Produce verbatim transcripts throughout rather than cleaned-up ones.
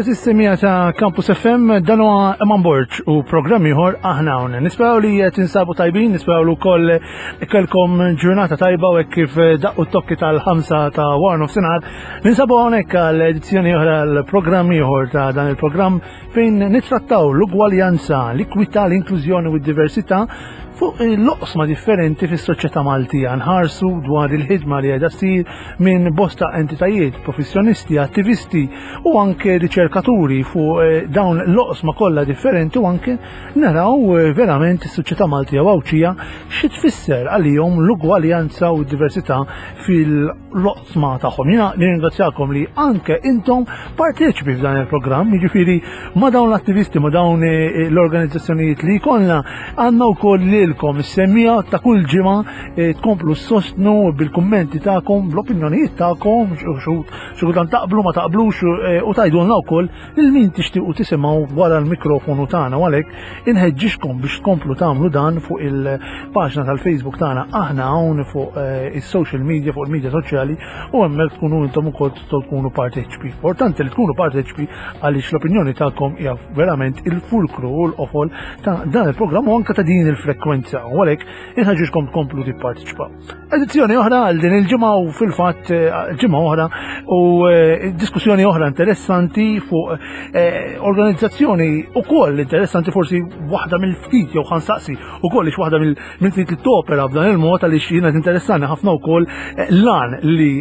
Sistemija ta' Campus F M, dan huwa Eman Borg u programm ieħor Aħna Hawn. Nisperaw li tinsabu tajbin, nisperaw li wkoll kellkom ġurnata tajba u hekk kif daqqu t-tokki tal-ħamsa ta' wara nofsinhar. Ninsabu hawnhekk għal edizzjoni oħra, l-programm ieħor ta' dan il-programm fejn nittrattaw l-ugwaljanza, l-ikwità, l-inklużjoni u d-diversità fuq l-oqsma differenti fis-soċjetà Maltija. Nħarsu dwar il-ħidma li qiegħda ssir minn bosta entitajiet, professjonisti, attivisti u anke riċerkaturi fuq eh, dawn l-oqsma kollha differenti u anke naraw eh, verament is-soċjetà Maltija u Għawdxija xi tfisser għalihom l-ugwaljanza u d-diversità fil-oqsma tagħhom. Jiena nirringrazzjakom li anke intom parteċipi f'dan il-programm, jiġifieri ma' dawn l-attivisti, ma' dawn eh, l-organizzazzjonijiet li jkollna, għandna wkoll lilkom is-semmiegħa ta' kull ġimgħa eh, tkomplu sostnu bil-kummenti tagħkom, bl-opinjonijiet tagħkom, xi kultant taqblu, ma taqblux, eh, u tgħidulna wkoll lil min tixtiequ tisimgħu wara l-mikrofonu tagħna, u għalhekk inħeġġixkom biex tkomplu tagħmlu dan fuq il-paġna tal-Facebook tagħna Aħna Hawn fuq eh, is-social media, fuq il-media soċjali, u hemmhekk tkunu intom ukoll tistgħu tkunu parteċipi. Importanti li tkunu parteċipi għaliex l-opinjoni tagħkom hija verament il-fulkru u l-qofol ta' dan il-programm u anke ta' din il-frekwenza, u għalhekk inħeġġixkom tkomplu tipparteċipaw. Edizzjoni oħra għal din il-ġimgħa u fil-fatt eh, ġimgħa oħra u eh, diskussjoni oħra interessanti fuq eh, organizzazzjoni ukoll interessanti, forsi waħda mill-ftit, jew ħa nsaqsi ukoll ix waħda mill-ftit li topera b'dan il-mod, għaliex jiena interessani ħafna wkoll lan li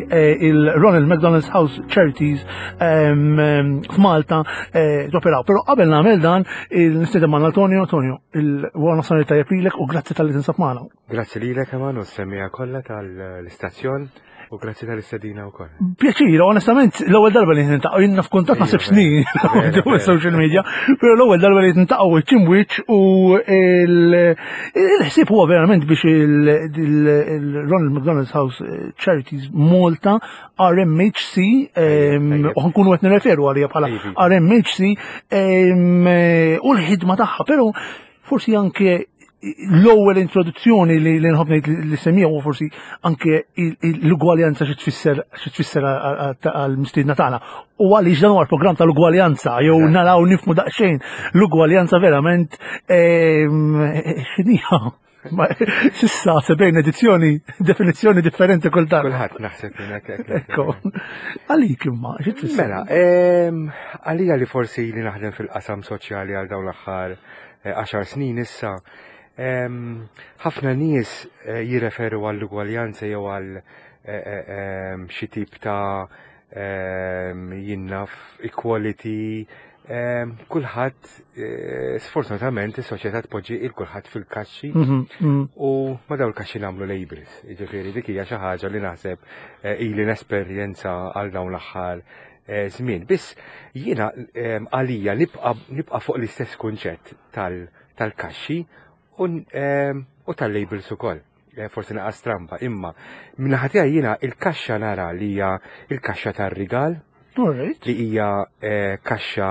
il-Ronald McDonald's House Charities ehm, ehm, f'Malta toperaw. Però qabel nagħmel dan, il-nistieden ma' Antonio. Antonio, il-wara nofsinhar tajjeb lilek u grazzi talli tinsab magħna. Grazzi lilek, Eman, u s-semmiegħa kollha tal-istazzjon u grazzi tal-istedina wkoll. Pjaċir, onestament, l-ewwel darba li niltaqgħu, jiena f'kuntatt naħseb snin fuq social media, però l-ewwel darba li niltaqgħu wiċċ u il-ħsieb huwa verament biex il-Ronald McDonald's House Charities Malta, R M H C, u ħa nkunu qed nirreferu għalija bħala R M H C u l-ħidma tagħha, però forsi anke l-ewwel introduzzjoni li li nħobb ngħid li semmija u forsi anke l-ugwaljanza xi tfisser xi tfisser għall-mistiedna tagħna. U għaliex dan huwa l-programm tal-ugwaljanza, jew naraw nifhmu daqsxejn l-ugwaljanza verament x'inhija. S'issa sebgħin edizzjoni, definizzjoni differenti kull darba. Kulħadd naħseb hekk. Ekku. Għalik imma, xi tfisser? Mela, għalija li forsi li naħdem fil-qasam soċjali għal dawn l-aħħar għaxar snin issa, ħafna nies eh, jirreferu għall-ugwaljanza jew għal eh, eh, xi tip ta' jien naf equality. Kulħadd, sfortunatament, is-soċjetà tpoġġi il kulħadd fil-kaxxi mhm, mhm. u ma dawn il-kaxxi nagħmlu labels. Jiġifieri dik hija xi ħaġa li naħseb ili nesperjenza għal dawn l-aħħar żmien. Biss jiena għalija nibqa' fuq l-istess kunċett tal-kaxxi u tal-labels ukoll. Eh, forsi naqa stramba, imma min-naħa tiegħi jiena il-kaxxa nara li hija il-kaxxa tar-rigal li hija eh, kaxxa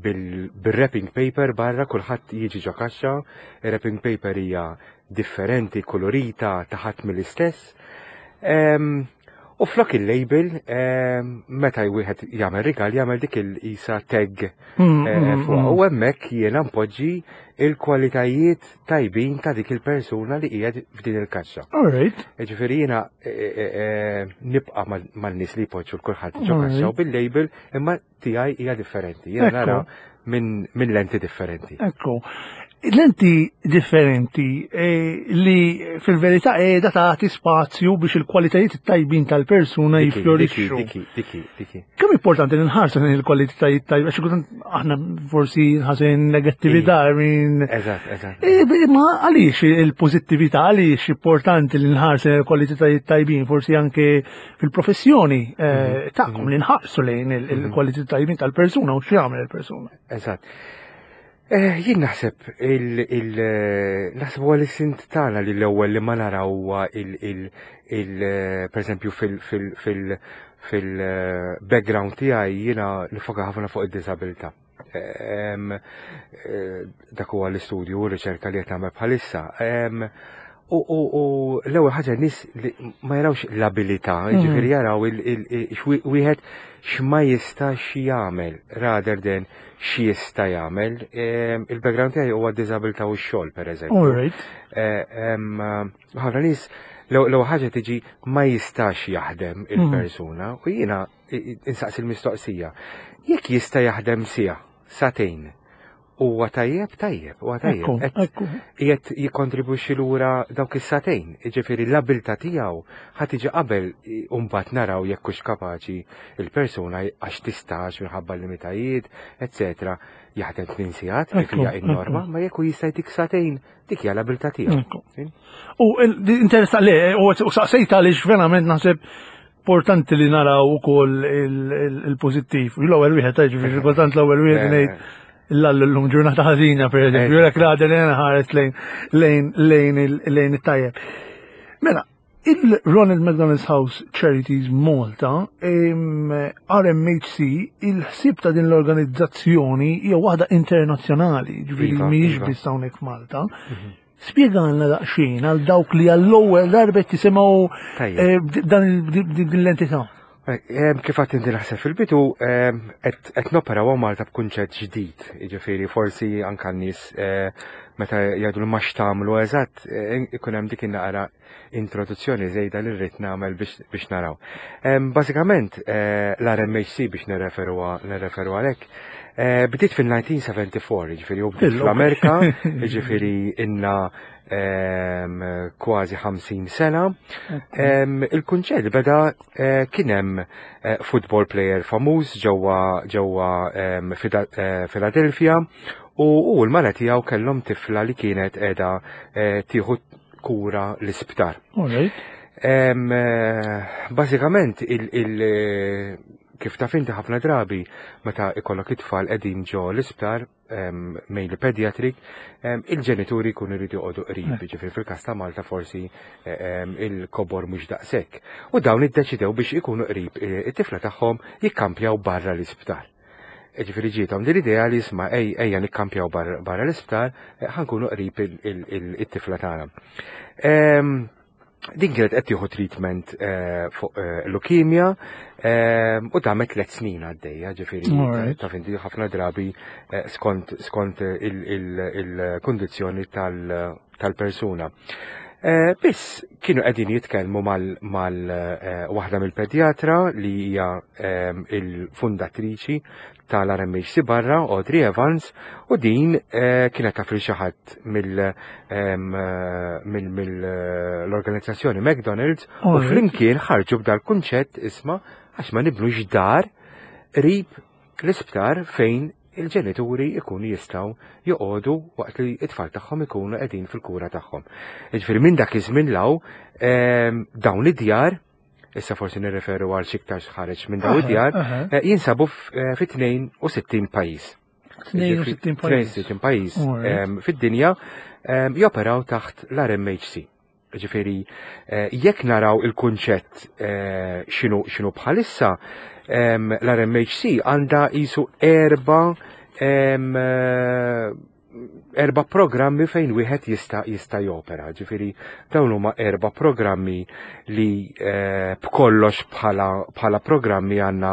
bil-wrapping paper barra, kulħadd jiġi ġo kaxxa, wrapping paper hija differenti, kolorita, taħat mill-istess. U flok il-label, meta wieħed jagħmel rigal, jagħmel dik il-isa tag mm, eh, mm, fuq. Mm. U hemmhekk jiena npoġġi il-kwalitajiet tajbin ta' dik il-persuna li qiegħed f'din il-kaxxa. Alright. Ġifieri jiena eh, eh, nibqa' man-nies li jpoġġu l-kulħadd ġo kaxxa u bil-label, imma tiegħi hija differenti. Jiena nara minn lenti differenti. Ekku. Lenti differenti eh, li fil-verità qiegħda tagħti spazju biex il-kwalitajiet tajbin tal-persuna Diki, jifjorixxu. Diki, diki, diki. Kemm importanti li nħarsu lejn il-kwalitajiet tajbin, għax kultant aħna forsi nħarsu lejn negattività, I mean, Eżatt, eżatt. Eh, Ma għaliex il-pozittività, għaliex importanti li nħarsu lejn il-kwalitajiet tajbin, forsi anke fil-professjoni eh, tagħkom li nħarsu lejn il- il-kwalitajiet tajbin tal-persuna u x'jagħmel il-persuna. Eżatt. Eh, Jien naħseb il, il, eh, naħseb huwa l-isint tagħna li l-ewwel li ma naraw huwa il, il, il, eh, per eżempju fil, fil, fil, fil eh, background tiegħi jiena nifoka ħafna fuq id-disabilità. Em, eh, Dak huwa l-istudju u r-riċerka li qed nagħmel bħalissa. Em, U, u, u l-ewwel ħaġa nies li ma jarawx l-abilità, jiġifieri jaraw il, il, il, xwi- wieħed x'ma jistax jagħmel rather than x'jista' jagħmel. Em, Il-background tiegħi huwa d-disabilità u x-xogħol pereżempju. All right. Eh, em, Ħafna nies l-ewwel ħaġa tiġi ma jistax jaħdem il-persuna u jiena i- i- insaqsi l-mistoqsija. Jekk jista' jaħdem siegħa, sagħtejn, huwa tajjeb, tajjeb, huwa tajjeb. Ekku, Qed- ekku. qiegħed jikkontribwixxi lura dawk is-sagħtejn, jiġifieri l-abilità tiegħu ħa tiġi qabel i- u mbagħad naraw jekk hux kapaċi il-persuna għax tistax minħabba limitajiet, eċetera, jaħdem tmien sigħat kif Ekku, hija n-norma, ma jekk hu jista' jtik sagħtejn, dik hija l-abilità tiegħu. Ekku. U interessa le, u u saqsejta għaliex verament naħseb importanti li naraw ukoll il-pożittiv. L-ewwel wieħed ġifieri kultant l-ewwel wieħed ngħid l-allu l-lum ġurnata ħażina per eżempju, jekk raġel li ħares lejn lejn lejn lejn it-tajjeb. Mela, il-Ronald McDonald's House Charities Malta, R M H C, il-ħsib ta' din l-organizzazzjoni hija waħda internazzjonali, ġifieri Iva, mhijiex iva. biss hawnhekk f'Malta. Spjegalna daqsxejn għal dawk li għall-ewwel darba tisimgħu Tajjeb. eh, dan il- din l-entità. Em, Kif għedt inti naħseb fil-bidu, em, qed qed noperaw Malta b'kunċett ġdid, jiġifieri forsi anke n-nies eh, meta jgħidu li ma x'tagħmlu eżatt, eh, ikun hemm dik in-naqra introduzzjoni żejda li rrid nagħmel biex biex naraw. Em, Bażikament eh, l-R M H C biex nirreferu nirreferu għalhekk, eh, bdiet fil-elf disa' mija u erbgħa u sebgħin, jiġifieri u bdiet Illu. fl-Amerika, jiġifieri inna em, kważi ħamsin sena. Em, Il-kunċett beda eh, kien hemm eh, football player famuż ġewwa ġewwa em, Fida- eh, Philadelphia u u l-mara tiegħu kellhom tifla li kienet qiegħda eh, tieħu kura l-isptar. All right. Em, eh, Bażikament il, il, eh, kif taf inti ħafna drabi meta ikollok it-tfal qegħdin ġo l-isptar em, mainly pediatric, em, il-ġenituri jkunu jridu joqogħdu qrib, ġifieri fil-każ ta' Malta forsi eh, em, il-kobor mhux daqshekk. U dawn iddeċidew biex ikunu qrib eh, it-tifla tagħhom jikkampjaw barra l-isptar. Ġifieri ġietom din l-idea li isma' ej ejja nikkampjaw barra barra l-isptar, eh, ħa nkunu qrib il- il- il- it-tifla tagħna. Em, Din kienet qed tieħu treatment eh, fuq eh, leukemia em, u damet tliet snin għaddejja, ġifieri Alright. taf inti ħafna drabi eh, skont skont il-kundizzjoni tal-persuna. Eh, Biss kienu qegħdin jitkellmu mal, mal eh, waħda mill-pedjatra li hija em, il-fundatriċi tal-R M H C barra, Audrey Evans, u din eh, kienet taf li xi ħadd mill-organizzazzjoni McDonald's u Alright. flimkien ħarġu b'dal kunċett, isma' għax ma nibnux dar qrib l-isptar fejn il-ġenituri ikunu jistgħu joqogħdu waqt li it-tfal tagħhom ikunu qegħdin fil-kura tagħhom. Jiġifieri minn dak iż-żmien law em, dawn id-djar, issa forsi nirreferu għal xi iktar ħareġ minn dawn Aha, id-djar, aha. eh, jinsabu f- eh, fi tnejn u sittin pajjiż. tnejn u sittin pajjiż. tnejn u sittin pajjiż Alright. em, fid-dinja em, joperaw taħt l-R M H C. Ġifieri, eh, jekk naraw il-kunċett eh, x'inhu x'inhu bħalissa, em, l-R M H C għandha qisu erba em, eh, erba programmi fejn wieħed jista' jista' jopera. Ġifieri dawn huma erba programmi li eh, b'kollox bħala bħala programmi għandna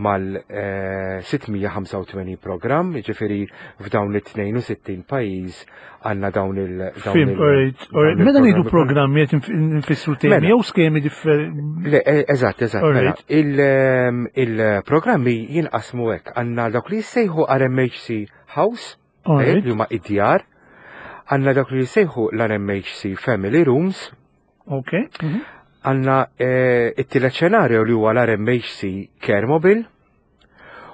mal eh, sitt mija u ħamsa u tmenin programm, ġifieri f'dawn it-tnejn u sittin pajjiż għandna dawn il dawn Fhimt, il- alright, alright. dawn Meta ngħidu il-programmi. programmi qed nfissru temi Mela. jew skemi differenti. Le, eh, eżatt, eżatt. Mela, Alright. il, ehm, il-programmi jinqasmu hekk. Għandna dawk li jissejħu R M H C House, eh, Alright. li huma id-djar, Għandna dak li jsejħu l-R M H C Family Rooms, Ok. Mhm. għandna eh, it-tielet xenarju li huwa l-R M H C Care Mobile,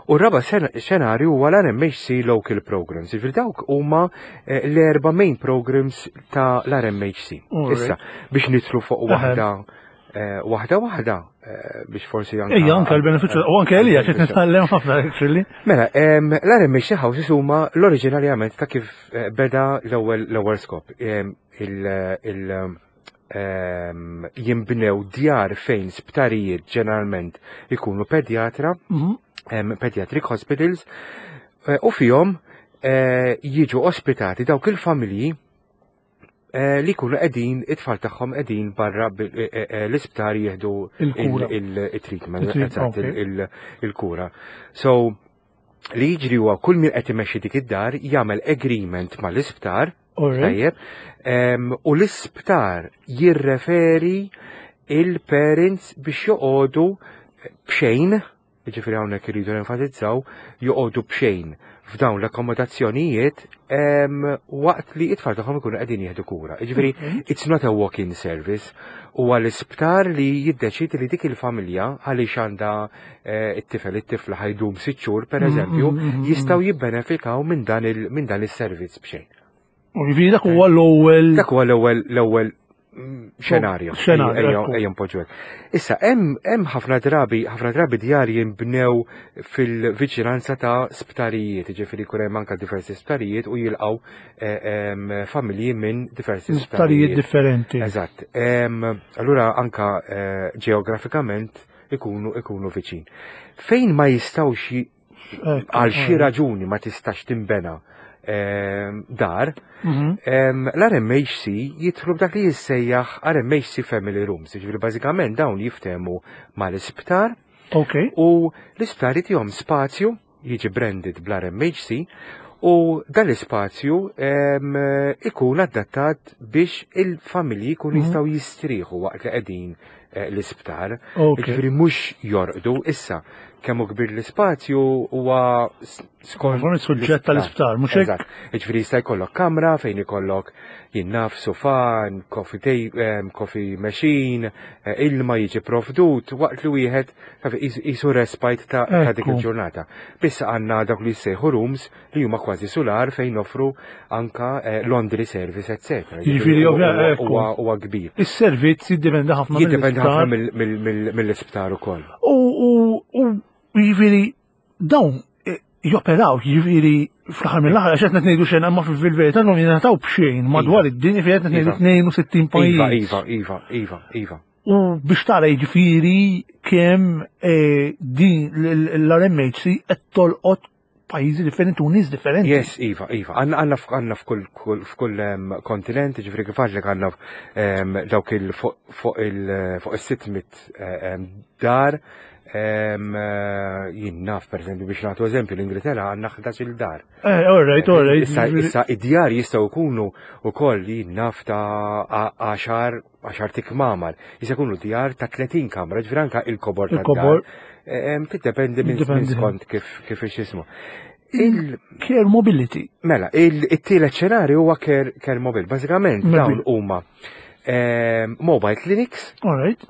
u r-raba xenarju huwa l-R M H C Local Programs. Jiġifieri dawk huma eh, l-erba main programs ta' l-R M H C. Alright. Issa, biex nidħlu fuq Aha. waħda eh, waħda waħda eh, biex forsi anka. Ejja, anka l-benefiċċju, u anke għalija, qed nitgħallem ħafna, actually. Mela, em, l-R M H C Houses huma l-oriġinarjament ta' kif eh, beda l-ewwel l-ewwel skop. Em, Il, il, em, jimbnew djar fejn sptarijiet ġeneralment ikunu pedjatra, Mhm. em, pediatric hospitals, eh, u fihom eh, jiġu ospitati dawk il-familji eh, li jkunu qegħdin it-tfal tagħhom qegħdin barra bil- eh, eh, l-isptar jieħdu Il-kura. il-treatment, Il-treatment, eżatt, ok. il- il-kura. So, li jiġri huwa kull min qed imexxi dik id-dar jagħmel agreement mal-isptar, Alright. tajjeb, em, u l-isptar jirreferi il-parents biex joqogħdu bxejn, jiġifieri hawnhekk iridu nenfasizzaw, joqogħdu bxejn f'dawn l-akkomodazzjonijiet em, waqt li it-tfal tagħhom ikunu qegħdin jieħdu kura. Jiġifieri Ok. it's not a walk-in service, huwa l-isptar li jiddeċidi li dik il-familja għaliex għandha eh, it-tifel it-tifla ħa jdum sitt xhur pereżempju, Mm, mm, mm, mm, jistgħu jibbenefikaw minn dan il minn dan is-servizz bxejn. U jiġifieri dak huwa l-ewwel. Dak huwa l-ewwel l-ewwel mm, xenarju. Xenarju, Ejja, ekku. ejja npoġġu hekk. Issa hemm hemm ħafna drabi ħafna drabi djar jinbnew fil-viċinanza ta' sptarijiet, jiġifieri jkun hemm anke diversi sptarijiet u jilqgħu eh, em, familji minn diversi Sptarijiet sptarijiet. differenti. Eżatt. Em, Allura anka eh, ġeografikament ikunu ikunu viċin. Fejn ma jistgħux ji- Ekku, għal xi alright. raġuni ma tistax timbena em, dar, Mhm. Em, L-R M H C jidħlu b'dak li jissejjaħ R M H C Family Rooms, jiġifieri bażikament dawn jiftehmu mal-isptar Ok. u l-isptar jtihom spazju, jiġi branded bl-R M H C, u dan l-ispazju em, ikun adattat biex il-familji jkunu Mhm. jistgħu jistrieħu waqt li qegħdin eh, l-isptar. Ok. Jiġifieri mhux jorqdu, issa kemm hu kbir l-ispazju huwa s- skont Konformi suġġett tal-isptar, mhux hekk? Eżatt. Jiġifieri jista' jkollok kamra fejn ikollok jien naf sufan, coffee, ta- em, coffee machine, eh, ilma jiġi provdut waqt li wieħed taf jisu respite ta' ta' dik Ekku. il-ġurnata. Biss għandna dawk li jsejħu rooms li huma kważi sular fejn noffru anka eh, laundry service, eccetera. Jiġifieri, Huwa- ovvja, ekku. huwa huwa kbir. Is-servizz jiddependi ħafna Jiddependi mill-isptar. ħafna mill- mill- mill- mill-isptar ukoll. U u u jiġifieri dawn eh, joperaw, jiġifieri fl-aħħar mill-aħħar għax qed ngħidu xejn imma fil-verità dawn jingħataw b'xejn madwar id-dinja fejn qed ngħidu Iva. tnejn u sittin Iva, pajjiż. iva, iva, iva, iva. U biex tara jiġifieri kemm eh, din l-R M H C qed tolqot pajjiżi differenti u nies differenti. Yes, iva, iva. Għandna għandna f- għandna f'kull kull- f'kull em, kontinent, ġifieri kif għedtlek għandna em, dawk il fuq fuq il fuq is-sitt mitt em, dar em, eh, jien naf per eżempju biex nagħtu eżempju l-Ingilterra għandna ħdax-il dar. Eh, all right, all right. Issa, issa id-djar jistgħu jkunu wkoll jien naf ta' għaxar għaxar kmamar. Jista' jkunu djar ta' tletin kamra, ġifieri anka il-kobor Il-kobor. tad-dar. Em, Tiddependi minn Jiddependi. minn skont kif kif jismu. Il, Care mobility. Mela, il-tielet xenarju huwa care, care mobile. Bażikament Mobile. dawn huma em, mobile clinics All right.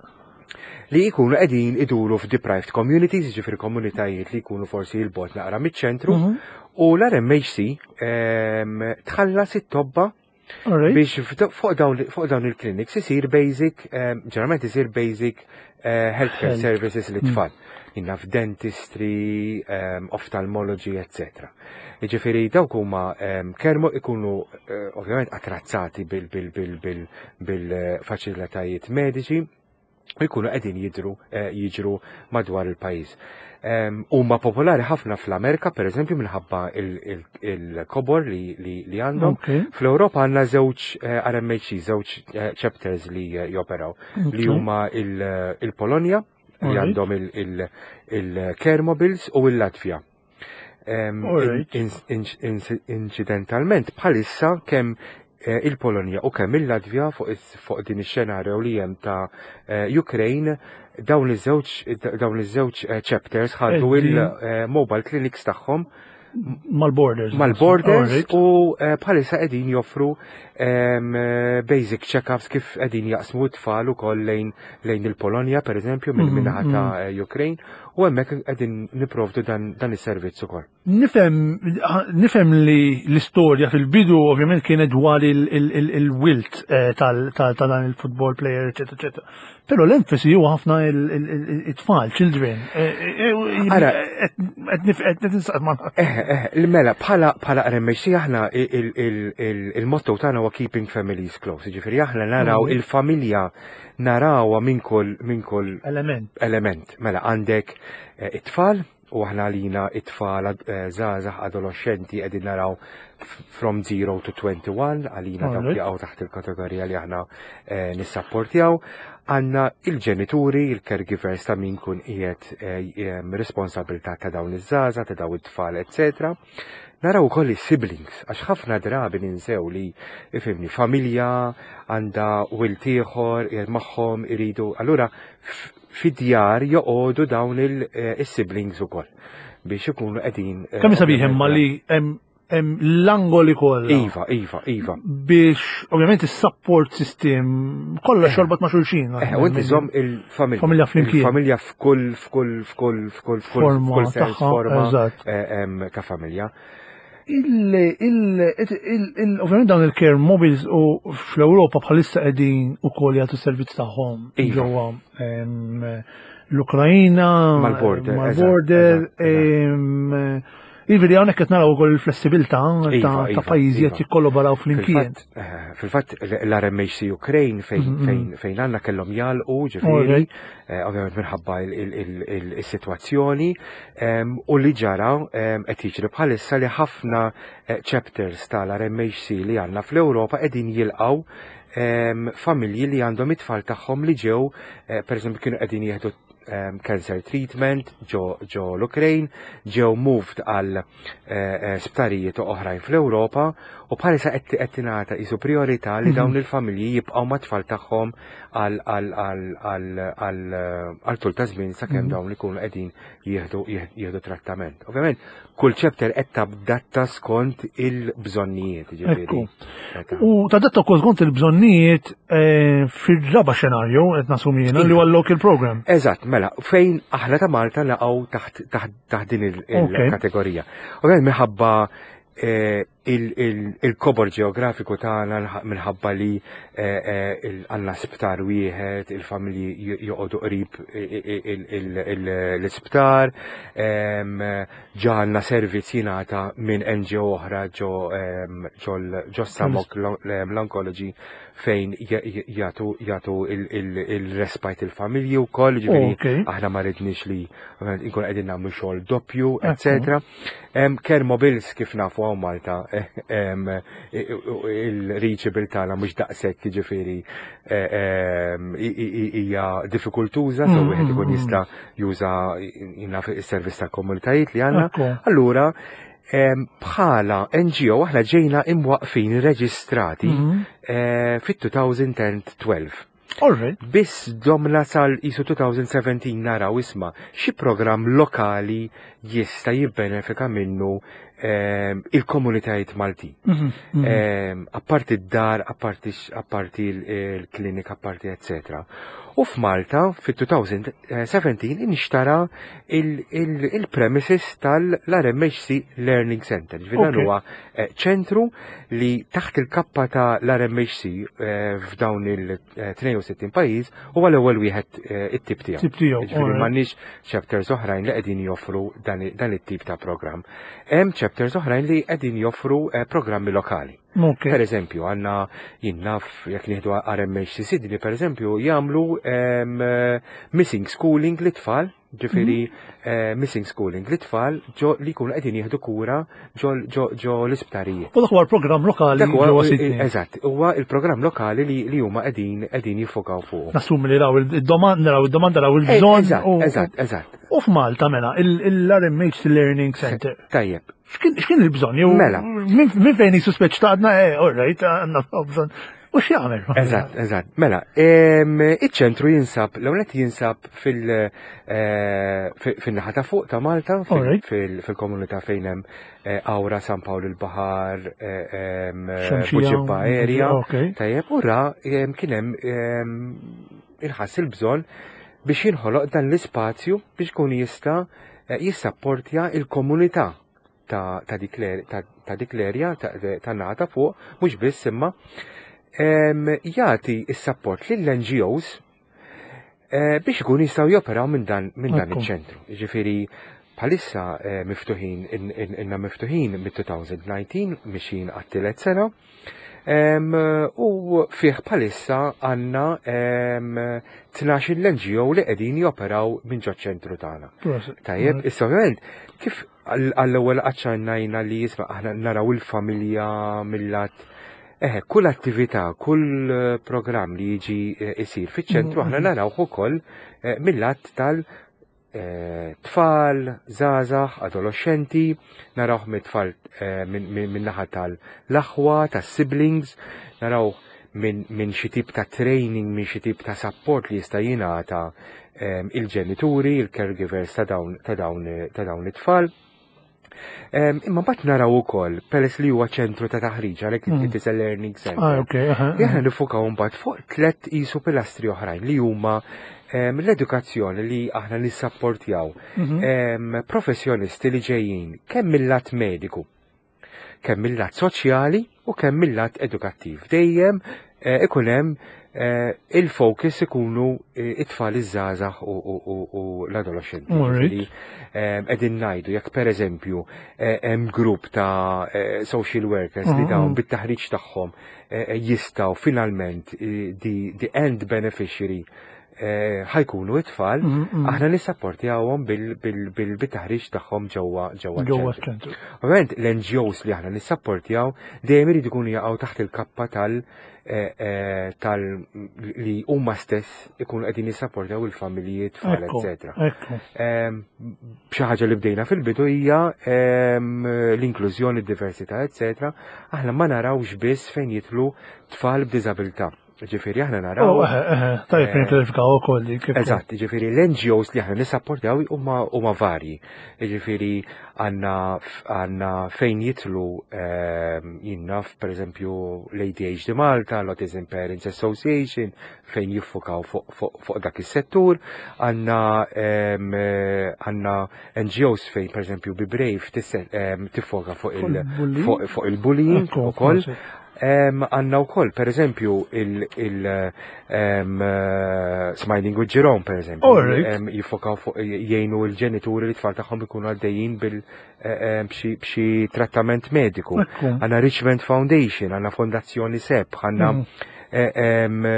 li jkunu qegħdin iduru f'deprived communities, jiġifieri komunitajiet li jkunu forsi 'l bogħod naqra miċ-ċentru, Mhm. u l-R M H C em, tħallas it-tobba All right. biex f'da- fuq dawn fuq dawn il-clinics isir basic, em, ġeneralment isir basic eh, healthcare Health. services li tfal. Jien naf dentistry, um, ophthalmology, eccetera. Jiġifieri dawk huma um, kermo ikunu eh, ovvjament attrazzati bil-faċilitajiet mediċi u jkunu qegħdin jidru eh, jiġru madwar il-pajjiż. Em, Huma popolari ħafna fl-Amerika, per eżempju, minħabba il-kobor li, li, li għandhom. Ok. Fl-Europa għandna żewġ eh, R M H C, żewġ eh, chapters li eh, joperaw, li Ok. huma il- il-Polonja, li Alright. għandhom il-Care Mobiles u il-Latvja. Em, Alright. in- in- in- Incidentalment, bħalissa kemm eh, il-Polonja u kemm il-Latvja fuq is- fuq din ix-xenarju li hemm ta' eh, Ukraine, dawn iż-żewġ dawn iż-żewġ eh, chapters ħadu Qegħdin. il-mobile clinics tagħhom Mal-borders. Mal-borders Alright. u eh, bħalissa qegħdin joffru em, eh, basic check-ups kif qegħdin jaqsmu t-tfal ukoll lejn lejn il-Polonja pereżempju minn Mhm, min-naħa ta' eh, Ukraine u hemmhekk qegħdin niprovdu dan dan is-servizz ukoll. Nifhem nifhem li l-istorja fil-bidu ovvjament kienet dwar il-wilt tal ta' dan il-football player, eccetera, eccetera. Però l-enfasi huwa ħafna it-tfal, children. Ara. Qed ninsaqs ma. Eh, eh, mela, bħala bħala R M H C aħna il- il- il- il-motto tagħna huwa "keeping families close". Ġifieri aħna naraw Mhm. il-familja, narawha minn kull minn kull Element. element. Mela għandek eh, it-tfal u aħna għalina it-tfal eh, żgħażagħ, adolescenti, qegħdin naraw f- from zero to twenty-one, għalina dawk Alright. jaqgħu taħt il-kategorija li aħna eh, nissapportjaw. Għandna il-ġenituri, il-caregivers ta' min kun qiegħed eh, em, responsabilità ta' dawn iż-żgħażagħ, ta' dawn it-tfal, eccetera. Naraw ukoll is-siblings, għax ħafna drabi ninsew li, ifhimni, familja għandha wild ieħor qiegħed magħhom iridu. Allura f- fid-djar joqogħdu dawn il-siblings ukoll biex ikunu qegħdin eh, Kemm sabiħ imma li hemm hemm l-angoli kollha. Iva, iva, iva. Biex ovvjament is-support system kollox jorbot ma' xulxin. Eh, u inti żomm il-familja. Familja flimkien. Il-familja f'kull, f'kull, f'kull, f'kull, f'kull, Forma f'kull sens, tagħha, forma eżatt. eh, em, ta' familja. Il, il, il, il, ovvjament dawn il-care mobiles u fl-Ewropa bħalissa qegħdin ukoll jagħtu servizz tagħhom Iva. ġewwa em, l-Ukrajina, Mal-border, mal-border, eżatt, eżatt, em, Jiġifieri hawnhekk qed naraw ukoll il-flessibilità ta' Iva, ta' iva, pajjiżi qed iva. jikkollaboraw flimkien. Fil-fatt, eh, fil-fatt l-R M H C Ukraine fejn Mhm. fejn fejn għandna kellhom jagħlqu, ġifieri, Alright. eh, ovvjament minħabba il-sitwazzjoni, em, u li ġara em, qed jiġri bħalissa li ħafna eh, chapters tal-R M H C li għandna fl-Ewropa qegħdin jilqgħu em, familji li għandhom it-tfal tagħhom li ġew eh, per eżempju kienu qegħdin jieħdu em, cancer treatment ġo ġo l-Ukraine, ġew moved għal eh, eh, sptarijiet oħrajn fl-Ewropa u bħalissa qed qed tingħata qisu priorità li dawn il-familji jibqgħu mat-tfal tagħhom għal għal għal għal għal għal tul ta' żmien sakemm dawn ikunu qegħdin jieħdu jieħdu trattament. Ovvjament kull chapter qed tadatta skont il-bżonnijiet, ġifieri. Ekku. U tadatta wkoll skont il-bżonnijiet eh, fil-raba xenarju qed nasumi jiena li huwa local program. Eżatt, mela, fejn aħna ta' Malta naqgħu taħt taħt taħt din il- Ok. il-kategorija. Ovvjament minħabba eh, il- il- il-kobor ġeografiku tagħna, minħabba li eh, eh, il- għandna sptar wieħed, il-familji j- joqogħdu qrib il- il- il- l-isptar, em, ġa għandna servizz jingħata minn N G O oħra ġo em, ġo l- ġo Samok l-Oncology fejn j- j- jagħtu jagħtu il-respite il-familji wkoll, ġifieri Ok. aħna ma ridniex li ovvjament inkun qegħdin nagħmlu xogħol doppju, Ekku. eccetera. Em, Care Mobiles, kif nafu hawn Malta, em, il-reachable tagħna mhux daqshekk, ġifieri em, i- i- i- hija diffikultuża, so Mm, wieħed ikun mm, jista' juża jina is-servizz tal-komunitajiet li għandna. Ekku. Allura, em, bħala N G O aħna ġejna imwaqfin, reġistrati Mhm. eh, fit-elfejn u tnax. All right. Biss domna sal qisu elfejn u sbatax naraw isma xi programm lokali jista' jibbenefika minnu ehm, il-komunitajiet Maltin. Mhm, mhm. Ehm, Apparti d-dar, apparti apparti il-klinika, apparti eccetera. U f'Malta, fit-elfejn u sbatax inxtara il-premises tal-R M H C Learning Center. Ġifieri dan Ok. huwa eh, ċentru li taħt il-kappa ta' l-R M H C eh, f'dawn il-tnejn u sittin pajjiż huwa l-ewwel wieħed eh, it-tip tiegħu. Tip tiegħu, Ġifieri alright. m'għandniex chapters oħrajn li qegħdin joffru dan i- dan it-tip ta' programm. Hemm chapters oħrajn li qegħdin joffru eh, programmi lokali. Ok. Per eżempju, għandna jien naf jekk nieħdu R M H C Sydney, per eżempju, jagħmlu em, eh, missing schooling lit-tfal, ġifieri eh, missing schooling lit-tfal ġo li jkunu qegħdin jieħdu kura ġo ġo ġo l-isptarijiet. U dak huwa l-programm lokali Dak huwa- ġewwa Sydney. Eżatt, huwa il-programm lokali li li huma qegħdin qegħdin jiffokaw fuq. Nassumi li raw il-domanda, raw il-domanda, raw il-bżonn. Eżatt, u- eżatt, eżatt. U f'Malta mela, l-R M H Learning Center. Tajjeb. X'kien x'kien il-bżonn? Jew Mela. Minn minn fejn jisuspeċ ta' għadna, eh, all right, għandna bżonn. U x'jagħmel? Eżatt, eżatt. Mela, iċ-ċentru jinsab, l-ewwel jinsab fil- eh, fin-naħa ta' fuq ta' Malta, fil-komunità fejn hemm eh, Qawra, San Pawl il-Baħar, eh, Buġibba area. Tajjeb, u ra kien hemm inħass il-bżonn biex jinħoloq dan l-ispazju biex kun jista' jissapportja il-komunità ta' dik l-area ta' naħa ta' fuq, mhux biss imma jagħti s-support lill-N G Os eh, biex ikun jistgħu joperaw minn dan minn dan iċ-ċentru. Ġifieri bħalissa eh, miftuħin inna miftuħin mid-elfejn u dsatax, mixin għat-tielet sena. U fih bħalissa għandna tnax l-N G O li qegħdin joperaw minn ġo ċentru tagħna. Tajjeb, issa ovvjament kif għall-ewwel aċċennajna li jisma' aħna naraw il-familja mill-lat. Eħe, kull attività, kull eh, programm li jiġi eh, isir fiċ-ċentru aħna mm-hmm. narawh ukoll eh, mill-lat tal tfal, żgħażagħ, adolescenti, narawh mit-tfal minn naħa tal-aħwa, tas-siblings, narawh minn xi tip ta' training, minn xi tip ta' support li jista' jingħata il-ġenituri, il-caregivers ta' dawn ta' dawn it-tfal. Imma mbagħad naraw ukoll peress li huwa ċentru ta' taħriġ, għalhekk mm. it is a learning center. Ah, okay, Aħna nifukaw mbagħad fuq tliet isu pilastri oħrajn li huma l-edukazzjoni, li aħna nissapportjaw mhm. professjonisti li ġejjin kemm mill-lat mediku, kemm mill-lat soċjali u kemm mill-lat edukattiv. Dejjem eh, ikun hemm eh, il-focus ikunu eh, it-tfal, iż-żgħażagħ u l-adolescenti. Qegħdin ngħidu jekk pereżempju hemm grupp ta' social workers li dawn mm-hmm. bit-taħriġ tagħhom jistgħu finalment the end beneficiary ħa jkunu it-tfal, mm-hmm. aħna nissapportjawhom bil-taħriġ tagħhom ġewwa ġewwa ċentru. Ovvjament l-N G Os li aħna nissapportjaw dejjem irid ikunu jaqgħu taħt il-kappa tal- eh, eh, tal li huma stess ikunu qegħdin jissapportjaw il-familji, tfal, eċetera. Xi ħaġa li bdejna fil-bidu hija l-inklużjoni, d-diversità, eċetera. Aħna ma narawx biss fejn jidħlu tfal b'diżabilità. Ġifieri aħna naraw. Oh, tajjeb eh, niklarifikaw ukoll dik. Eżatt, ġifieri l-N G Os li aħna nissapportjaw huma huma varji. Ġifieri għandna għandna fejn jidħlu ehm, jinnaf pereżempju l-A D H D Malta, l-Autism Parents Association, fejn jiffukaw fuq dak is-settur, għandna ehm, għandna N G Os fejn pereżempju Be Brave ehm, tiffoka fuq il-bullying ukoll. Għandna wkoll, per eżempju, il Smiling with Jerome, per eżempju. Jiffokaw fuq jgħinu l-ġenituri li tfal tagħhom ikunu għaddejjin bil b'xi trattament mediku. Għandna Richmond Foundation, għandna Fondazzjoni SEB, għandna mm.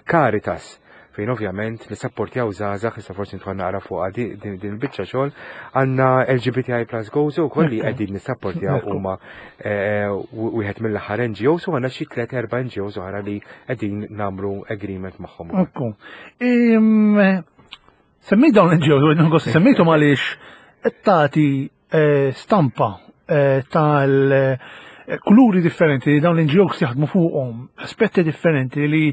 Caritas, fejn ovvjament nissapportjaw żgħażagħ, issa forsi nidħol naqra fuq din il-biċċa xogħol, għandna L G B T I Plus Gozo wkoll li qegħdin nissapportjaw, huma eh, wieħed mill-aħħar N G Os, u għandna xi tliet erba' N G Os oħra li qegħdin nagħmlu agreement magħhom. Ekku. Semmejt dawn N G Os, semmejthom għaliex qed tagħti eh, stampa eh, tal kuluri differenti li dawn l-N G Os jaħdmu fuqhom, aspetti differenti li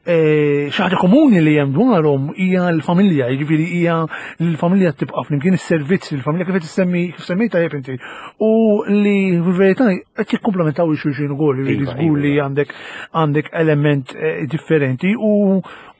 eh, xi ħaġa komuni li hemm dwarhom hija l-familja, jiġifieri hija l-familja tibqa' flimkien, is-servizz l-familja kif qed issemmi, kif semmejt tajjeb inti, u li fil-verità qed jikkumplementaw il-xulxin ukoll, jiġifieri Iva, żgur li iva. għandek għandek element eh, differenti u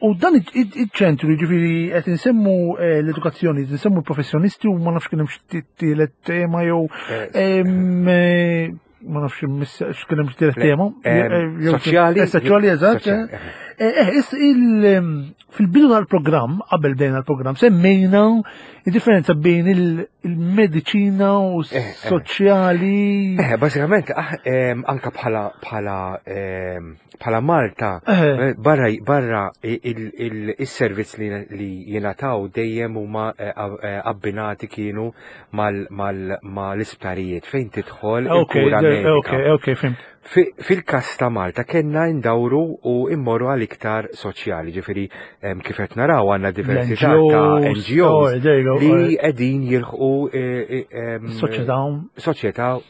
U dan iċ-ċentru, jiġifieri qed insemmu eh, l-edukazzjoni, qed insemmu l-professjonisti u ma nafx kien hemm xi tielet tema jew em, eh, ma nafx miss- x'kien hemm xi tielet Le, tema. em, Eh, jew- soċjali. eh, Soċjali, eżatt. Soċjali, eh. Eh, eh, is- il, em, Fil-bidu tal-programm, qabel bdejna l-programm, semmejna il-differenza bejn il- il-mediċina u Eh, eh. s-soċjali. Eh, bażikament, ah, em, anka bħala bħala em, bħala Malta, Eh. eh, barra barra il-servizz li li jingħataw dejjem huma eh, eh, abbinati kienu mal mal mal-isptarijiet fejn tidħol Ok, il-kura de- medika. ok, ok, fhimt. Fi- Fil-kas ta' Malta kellna ndawru u immorru għal iktar soċjali, ġifieri em, kif qed naraw għandna diversità ta' L-N G Os, N G Os oh, there you go, li alright. qegħdin jilħqu eh, eh, em, Soċjetà. soċjetà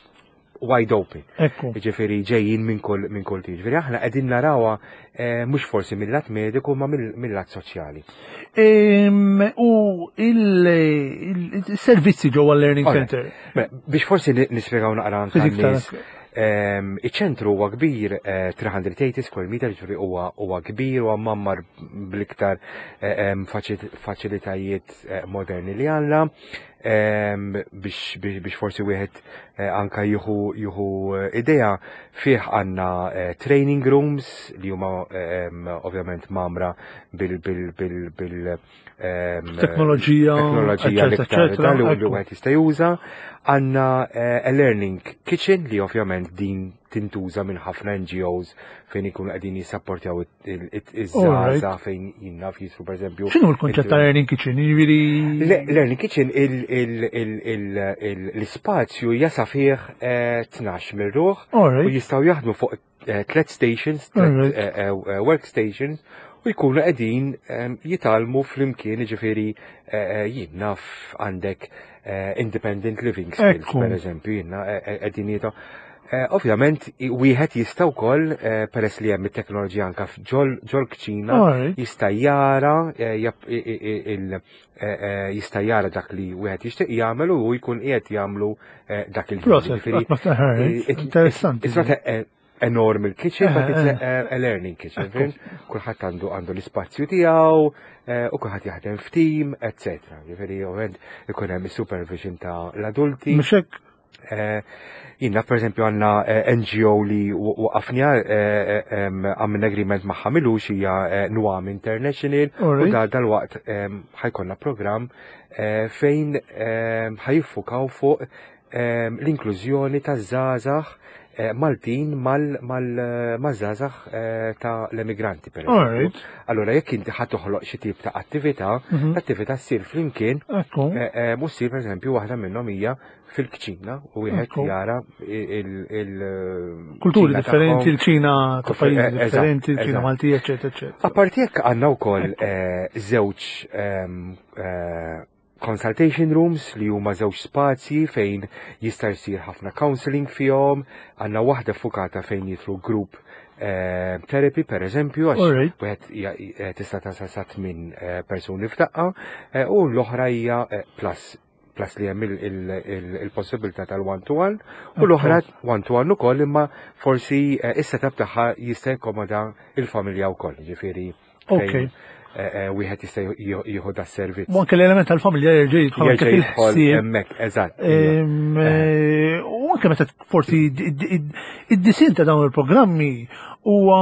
wide open. Ekku. Ġifieri ġejjin minn kull minn kull tip. Ġifieri aħna qegħdin narawha eh, mhux forsi mill-lat mediku ma mill-lat soċjali. Em, U il-servizzi ġewwa l-Learning Alright. Center. Mela, biex forsi ni- nispjegaw naqra anke Ftit iktar. għan-nies, ehm, iċ-ċentru huwa kbir, eh, tliet mija u tmenin square meter, ġifieri huwa huwa kbir u mgħammar bl-iktar eh, em, faċi- faċilitajiet eh, moderni li għandna ehm, biex biex biex forsi wieħed eh, anka jieħu jieħu eh, idea fih għandna eh, training rooms li huma ehm, ovvjament mgħammra bil bil bil bil ehm, Teknoloġija, teknoloġija eccetera, l-iktar eccetera, dan li ekku. wieħed jista' juża. Għandna eh, a learning kitchen li ovvjament din tintuża minn ħafna N G Os fejn ikunu qegħdin jissapportjaw iż-żgħażagħ fejn jinna jisru pereżempju. X'inhu l-konċett ta' Learning Kitchen? Jiġifieri Le- Learning Kitchen, il- il- il- il- il- l-ispazju jasa fih eh, tnax mir-ruħ u Alright. jistgħu jaħdmu fuq eh, tlet stations, tlet Alright. eh, eh, workstations u jkunu qegħdin em, jitgħallmu flimkien, ġifieri eh, eh, jien naf għandek eh, independent living skills, Ekku. per eżempju, jiena eh, eh, qegħdin jita. Eh, Ovvjament, i- wieħed jista' wkoll eh, peress li hemm it-teknoloġija anka ġol ġol kċina Alright. jista' jara eh, jap- i- i- i- il- eh, eh, jista' jara dak li wieħed jixtieq jagħmel u jkun qiegħed jagħmlu eh, dak il Proset, Ġifieri, alright. it- Interessanti. It's not a, a enorm il-kitchen, but it's Eh, a, a, a learning kitchen. Fhimt? Kulħadd għandu għandu l-ispazju tiegħu eh, u kulħadd jaħdem f'team, et cetera. Ġifieri ovvjament ikun hemm is-supervision ta' l-adulti. Mhux hekk? Eh, Jiena, per eżempju, għandna eh, N G O li waqafna, għamilna agreement magħha m'ilux, hija eh, Nuam International u Alright. da dal-waqt em, ħa jkollna program eh, fejn em, ħa jiffukaw fuq em, l-inklużjoni ta' żgħażagħ eh, Maltin mal-żgħażagħ ta' l-emigranti, per eżempju. Alright. Allora, jekk inti ħa toħloq xi tip ta' attività, Mhm. l-attività ssir flimkien. Ekku. Eh, eh, Mhux ssir, per eżempju, waħda minnhom hija fil-kċina u wieħed Ekku. jara il- il- Kulturi kċina differenti, tagħhom. il-ċina ta' Kuf- pajjiżi eh, eżatt, differenti, il-ċina eżatt. Maltija, eccetera, eccetera. Apparti jekk għandna wkoll eh, żewġ ehm, eh, consultation rooms li huma żewġ spazji fejn jista' jsir ħafna counseling fihom, għandna waħda fukata fejn jidħlu group eh, therapy per eżempju, għax Alright. wieħed hija- eh, tista' tasal sa tmien eh, persuni f'daqqa, eh, u l-oħra hija eh, plus plus li hemm il- il- il- il-possibilità tal-one to one u l-oħra one to one ukoll, imma forsi eh, is-setup tagħha jista' jakkomoda il-familja wkoll, ġifieri fejn, Ok. eh, eh, wieħed jista' jieħu jieħu da servizz. U anke l-element tal-familja jerġa' jidħol anke Jerġa' jidħol fil-ħsieb. hemmhekk, eżatt. Iva. Em, eh, U anke meta forsi id-disinn ta' dawn il-programmi huwa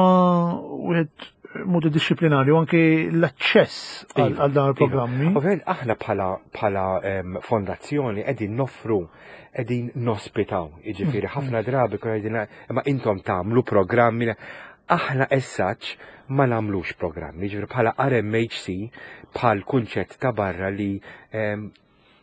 wieħed multidisciplinarju, anke l-aċċess għal Iva, għal dawn iva. il-programmi. Ovvjament aħna bħala bħala em, fondazzjoni qegħdin noffru, qegħdin nospitaw, jiġifieri Mm, ħafna drabi kun qegħdin imma intom tagħmlu programmi, aħna as such ma nagħmlux programmi, jiġifieri bħala R M H C, bħal kunċett ta' barra li em,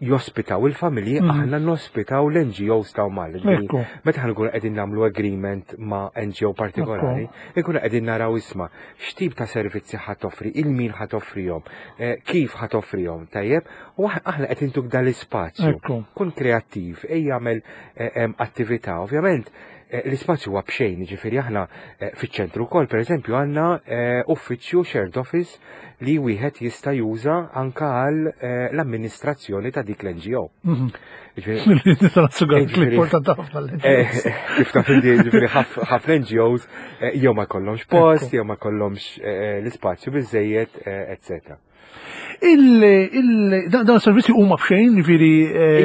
jospitaw il-familji, Mhm. aħna nospitaw l-N G Os ta' Malta. Ġifieri, Ekku. meta ħa nkunu qegħdin nagħmlu agreement ma' N G O partikolari, ikunu qegħdin naraw isma' x'tip ta' servizzi ħa toffri, lil min ħa toffrihom, eh, kif ħa toffrihom, tajjeb, u aħ- aħna qed intuk dal-ispazju. Ekku. Kun kreattiv, ejja jagħmel eh, em, attività. Ovvjament, eh, l-ispazju huwa b'xejn, ġifieri aħna eh, fiċ-ċentru wkoll, pereżempju, għandna eh, uffiċċju shared office li wieħed jista' juża anka għal eh, l-amministrazzjoni ta' dik l-N G O. Mhm. Ġifieri, Nista' nassugar li Ġifieri- importanti ħafna Eh, l-N G Os. Kif taf inti, ġifieri ħaf- ħafna N G Os eh, jew ma jkollhomx post, jew ma jkollhomx eh, l-ispazju biżejjed, eh, eccetera. Il, il, dan dan servizzi huma b'xejn, ġifieri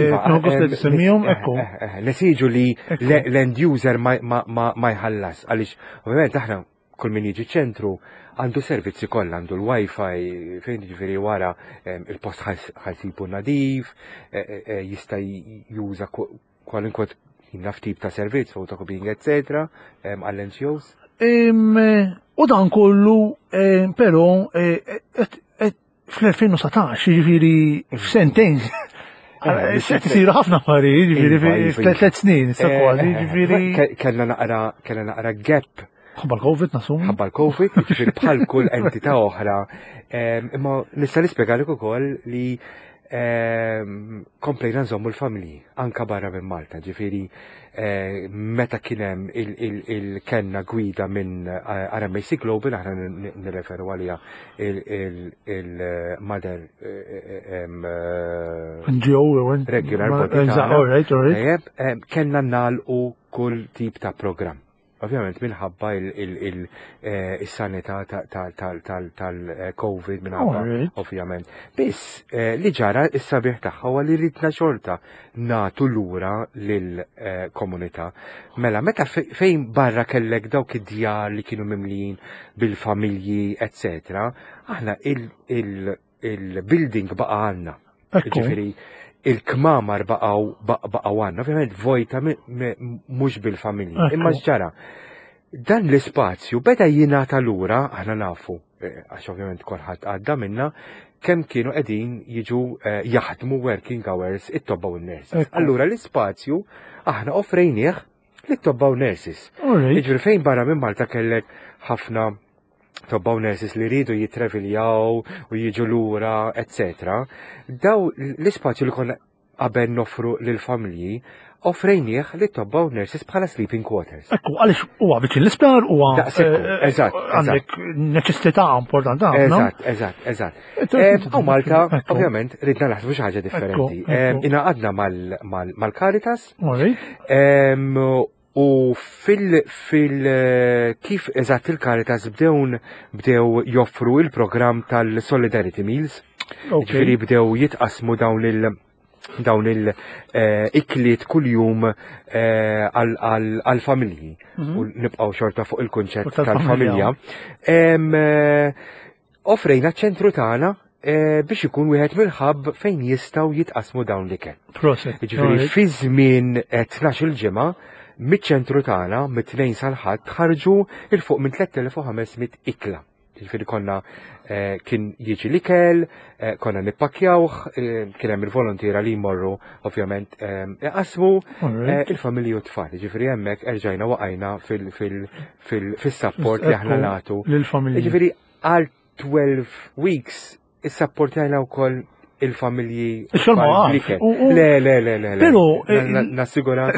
Iva, nieħu gost li eh, tisemmihom, eh, ekku. eh, eh, Nesiġu li Ekku. le- l-end user ma- ma ma- ma jħallas, għaliex ovvjament aħna kull min jiġi ċentru għandu servizzi kollha, għandu l-wifi, fejn ġifieri wara em, il-post ħa jsibu nadif, eh, eh, eh, jista' juża ku- kwalunkwe naf tip ta' servizz, photocopying, eccetera, em, għall-N G Os. Em, U dan kollu, em, però, eh, et- et- fl-elfejn u sbatax, ġifieri f'sentejn, Eh, qed isiru ħafna affarijiet, ġifieri Iva, iva, f'tliet tliet snin, issa Eh, kważi, eh, ġifieri. ke- Kellna naqra, kellna naqra gap Ħabba l-Covid nassumi. ħabba l-Covid, ġifieri bħal kull entità oħra. Em, Imma nista' nispjegalek ukoll li Ehm, komplejna nżommu l-familji anka barra minn Malta, ġifieri eh, meta kien hemm il-kenna gwida minn eh, R M A C Global, aħna nirreferu għalija il-mother eh, N G O, regular body. Kellna nagħlqu kull tip ta' program. Ovvjament minħabba il-sanità tal-Covid, minħabba, ovvjament. Biss eh, li ġara is-sabiħ tagħha huwa li ridna xorta nagħtu lura lill-komunità. Mela meta fejn barra kellek dawk id-djar li kienu mimlijin bil-familji, eccetera, aħna il-building baqa' għandna. Ġifieri, il-kmamar baqaw baqaw għandna, ovvjament vojta, mhux bil-familji. Imma ġara, dan l-ispazju beda jingħata lura, aħna nafu, eh, għax ovvjament kulħadd għadda minna, kemm kienu qegħdin jiġu eh, jaħdmu working hours it-tobba u n-nurses. Allura l-ispazju aħna offrejnieh lit-tobba u nurses. Jiġri fejn barra minn Malta kellek ħafna tobba u nurses li rridu jitreviljaw u jiġu lura, eccetera. Daw l-ispazju li konna qabel noffru lil-familji, offrejnieh li tobba u nurses bħala sleeping quarters. Ekku, għaliex huwa viċin l-isptar, huwa Daqshekk, eh, eżatt, għandek neċessità importanti ħafna. Eżatt, eżatt, eżatt. U Malta, ovvjament, ridna naħsbu xi ħaġa differenti. Ingħaqadna mal-Caritas. U fil, fil, kif eżatt il-Caritas bdew bdew joffru il-programm tal-Solidarity Meals. Ġifieri bdew jitqasmu dawn il- dawn il-ikliet kull-jum eh, għal-familji. Mhm. U nibqaw xorta fuq il-kunċett tal-familja. Eh, offrejna ċentru tagħna eh, biex ikun wieħed mill-hub fejn jistgħu jitqasmu dawn l-ikel. Proset. Ġifieri fi żmien tnax-il ġimgħa miċ-ċentru tagħna, mit-Tnejn sal-Ħadd, ħarġu 'il fuq minn tliet elef u ħames mitt ikla. Ġifieri konna eh, kien jiġi l-ikel, eh, konna nippakjawh, eh, kien hemm il-volontiera li jmorru ovvjament iqasmu il-familji u t-tfal. Ġifieri hemmhekk erġajna waqajna fil-support li aħna nagħtu. Lill-familji. Ġifieri għal twelve weeks issapportajna wkoll il-familji. Le, le, le, le. Pero. Nassigura.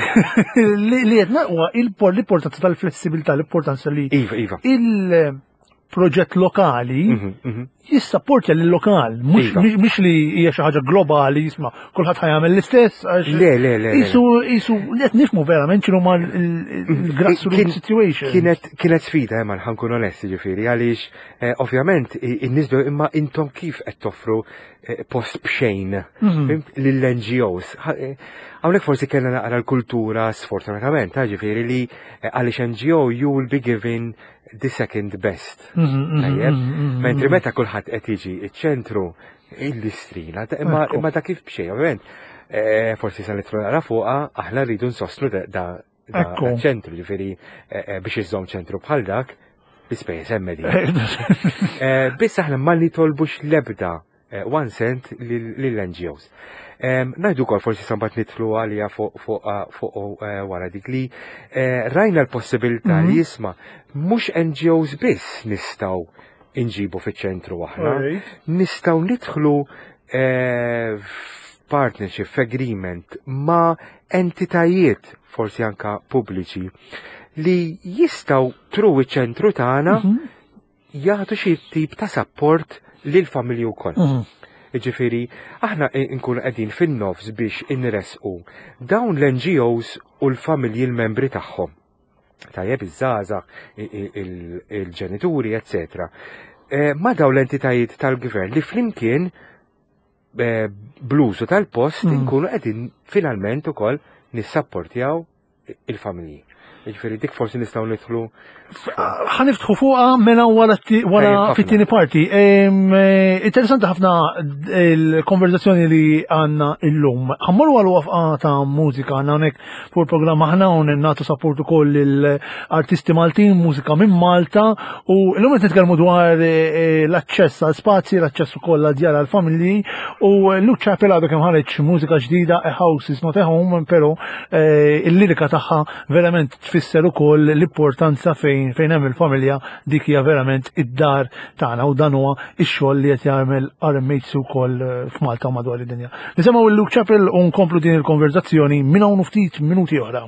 Li qed huwa l-importanza tal-flessibilità, l-importanza li. Iva, iva. Il-proġett lokali mhm, mhm. jissapportja l-lokal, mhux iva. li hija xi ħaġa globali, jisma' kulħadd ħa jagħmel l-istess. Le, le, le. Isu, isu, qed nifhmu verament x'inhu ma l-grassroots situation. Kienet kienet sfida, imma ħa nkun onesti, ġifieri, għaliex eh, ovvjament in-nies imma intom kif qed toffru eh, post b'xejn mhm. lill-N G Os. Eh, hawnhekk forsi kellna naqra l-kultura, sfortunatament, ġifieri li għaliex N G O, you will be given the second best. Mhm, mhm, Tajjeb, mentri meta kulħadd qed jiġi iċ-ċentru il-listrina, imma imma ta' kif b'xejn, ovvjament. Eh, forsi sa nidħlu naqra fuqha, aħna rridu nsostnu da ċentru, ġifieri eh, eh, biex iżżomm ċentru bħal dak, l-ispejjeż hemm. Biss aħna ma nitolbux l-ebda one cent lill-N G Os. Ngħidu kol forsi sambat nidħlu għalija fuq wara dik li rajna l-possibilità li mhm. jisma' mhux N G Os biss nistgħu inġibu fiċ-ċentru aħna, nistgħu nidħlu partnership agreement ma' entitajiet forsi anka pubbliċi li jistgħu through iċ-ċentru tagħna mhm. jagħtu xi tip ta' support lil familji wkoll. Mhm. Ġifieri, aħna nkunu qegħdin fin-nofs biex inresqu dawn l-N G Os u l-familji l-membri tagħhom. Tajjeb, iż-żgħażagħ, il-ġenituri, eccetera. Eh, ma dawn l-entitajiet tal-gvern li flimkien eh, bl-użu tal-post Mm. nkunu qegħdin finalment ukoll nissapportjaw il-familji. Ġifieri dik forsi nistgħu nidħlu. Ħa niftħu fuqha mela wara t- wara Tajjeb ħafna. fit-tieni parti. Em, eh, Interessanti ħafna il-konverzazzjoni li għandna illum. Ħa mmorru għal waqfa ta' mużika għandna hawnhekk fuq il-programm aħna hawn nagħtu support ukoll l-artisti Maltin, mużika minn Malta, u illum qed nitkellmu dwar eh, l-aċċess għal spazji, l-aċċess ukoll għal djar għal familji u Luke Chappell għadu kemm ħareġ mużika ġdida, A House is Not a Home, però eh, il-lirika tagħha verament Tfisser ukoll l-importanza fejn fejn hemm il-familja, dik hija verament id-dar tagħna u dan huwa x-xogħol li qed jagħmel R M H C wkoll eh, f'Malta u madwar id-dinja. Nisimgħu il-Luke Chappell u nkomplu din il-konverzazzjoni minn hawn ftit minuti oħra.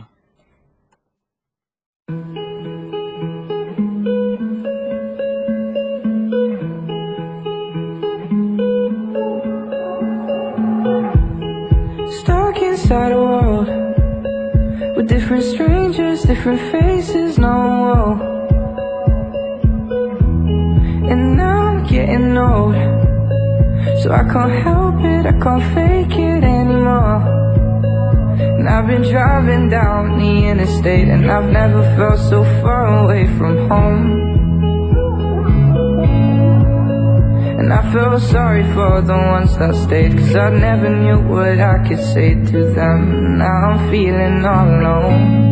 Stuck inside a world with different strangers, different faces, no one. And now I'm getting old, so I can't help it, I can't fake it anymore. And I've been driving down the interstate, and I've never felt so far away from home. And I feel sorry for the ones that stayed, 'cause I never knew what I could say to them. Now I'm feeling all alone.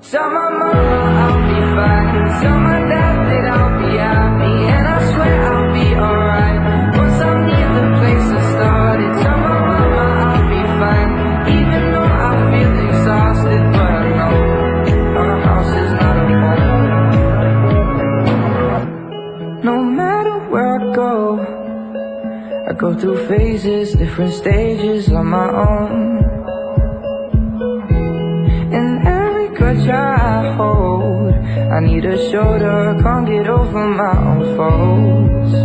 Tell my mama I'll be fine. Tell my dad that I'll be happy. And I swear I'll be alright once I'm near the place I started. Tell my mama I'll be fine, even though I feel exhausted. But I know our house is not a home. No matter where I go, I go through phases, different stages on my own. And every grudge I hold, I need a shoulder, can't get over my own faults.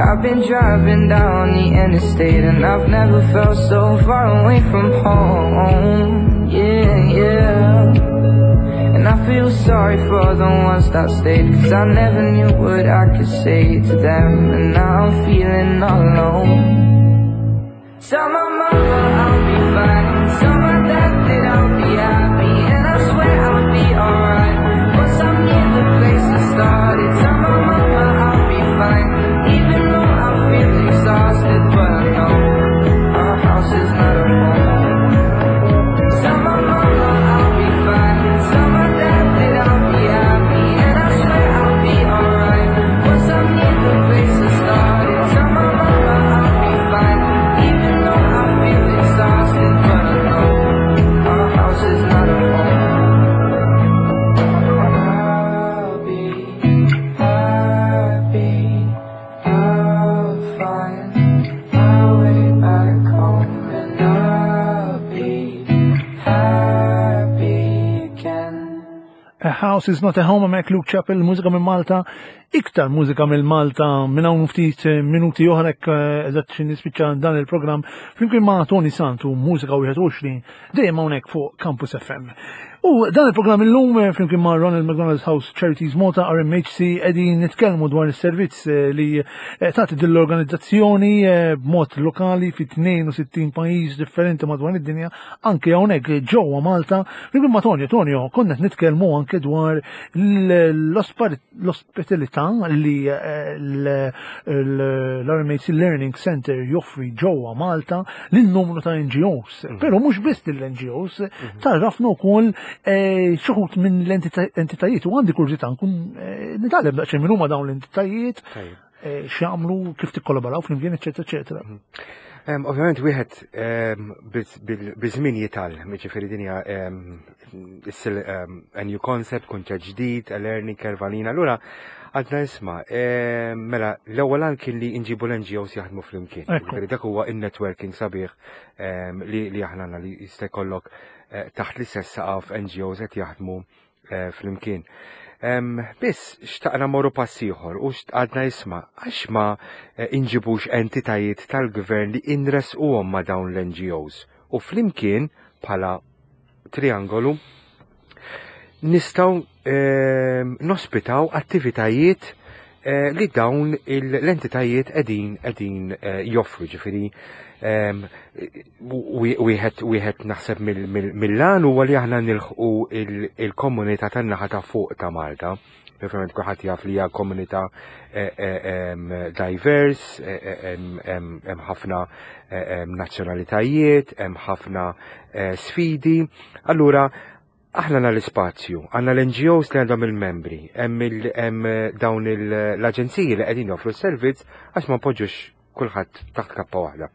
I've been driving down the interstate, and I've never felt so far away from home. Yeah, yeah. And I feel sorry for the ones that stayed, 'cause I never knew what I could say to them. And now I'm feeling all alone. Tell my mama I'll be fine. Tell my dad that I'll be happy. And I swear I'll be alright once I'm near the place I started. Tell my mama I'll be fine, even though I feel exhausted. But I know our house is not a home. Tell my mama I'll be fine. Tell my dad that I'll be happy. And I swear I'll be alright once I'm near the place I started. Tell my mama I'll be fine, even though I feel exhausted. But I know our house is not a home. I'll be happy. I'll find my way back home, and I'll be happy again. A House is Not a Home, mek Luke Chappell, mużika minn Malta, iktar mużika minn Malta minn hawn ftit minuti oħra eh, eżatt xi nispiċċa dan il-programm flimkien ma' Tony Santu, Mużika wieħed u għoxrin, dejjem hawnhekk fuq Campus F M. U dan il-programm illum eh, flimkien ma' Ronald McDonald's House Charities Malta, R M H C, qegħdin nitkellmu dwar is-servizz eh, li eh, tagħti din l-organizzazzjoni eh, b'mod lokali fi tnejn u sittin pajjiż differenti madwar id-dinja, anke hawnhekk ġewwa Malta. Flimkien ma' Tonio, Tonio, konna qed nitkellmu anke dwar l-ospitalità li eh, l-R M H C Learning Center joffri ġewwa Malta lil numru ta' N G Os. Però mhux biss lill-N G Os, tgħarrafna wkoll eh, xi wħud minn l-entitajiet u għandi kurżità nkun eh, nitgħallem daqsxejn minn huma dawn l-entitajiet, Tajjeb. eh, x'jagħmlu, kif tikkollaboraw flimkien, eċetera, eċetera. Em, Ovvjament wieħed em, biz- bil- biż-żmien jitgħallem, jiġifieri din hija em, issir em, a new concept, kunċett ġdid, a learning curve għalina. Allura għadna isma', em, mela l-ewwel għan kien li nġibu l-N G Os jaħdmu flimkien. Ekku. Jiġifieri dak huwa in-networking sabiħ em, li li aħna għandna li jista' jkollok eh, taħt l-istess saqaf N G Os qed jaħdmu eh, flimkien. Em, Biss, xtaqna morru pass ieħor u għadna isma', għax ma eh, inġibux entitajiet tal-gvern li inresquhom ma' dawn l-N G Os u flimkien bħala triangolu nistgħu em, nospitaw attivitajiet eh, li dawn il- l-entitajiet qegħdin qegħdin eh, joffru, ġifieri em, wi- wieħed wieħed naħseb mill- mill- mill-għan huwa li aħna nilħqu il- il-komunità tan-naħa ta' fuq ta' Malta. Ovvjament kulħadd jaf li hija komunità eh, eh, em, diverse, eh, eh, hemm hemm- hemm ħafna eh, em, nazzjonalitajiet, hemm ħafna eh, sfidi. Allura aħna għandna l-ispazju, għandna l-N G Os li għandhom il-membri, hemm il- hemm eh, dawn il- l-aġenziji li qegħdin joffru s-servizz, għax ma npoġġux kulħadd taħt kappa waħda.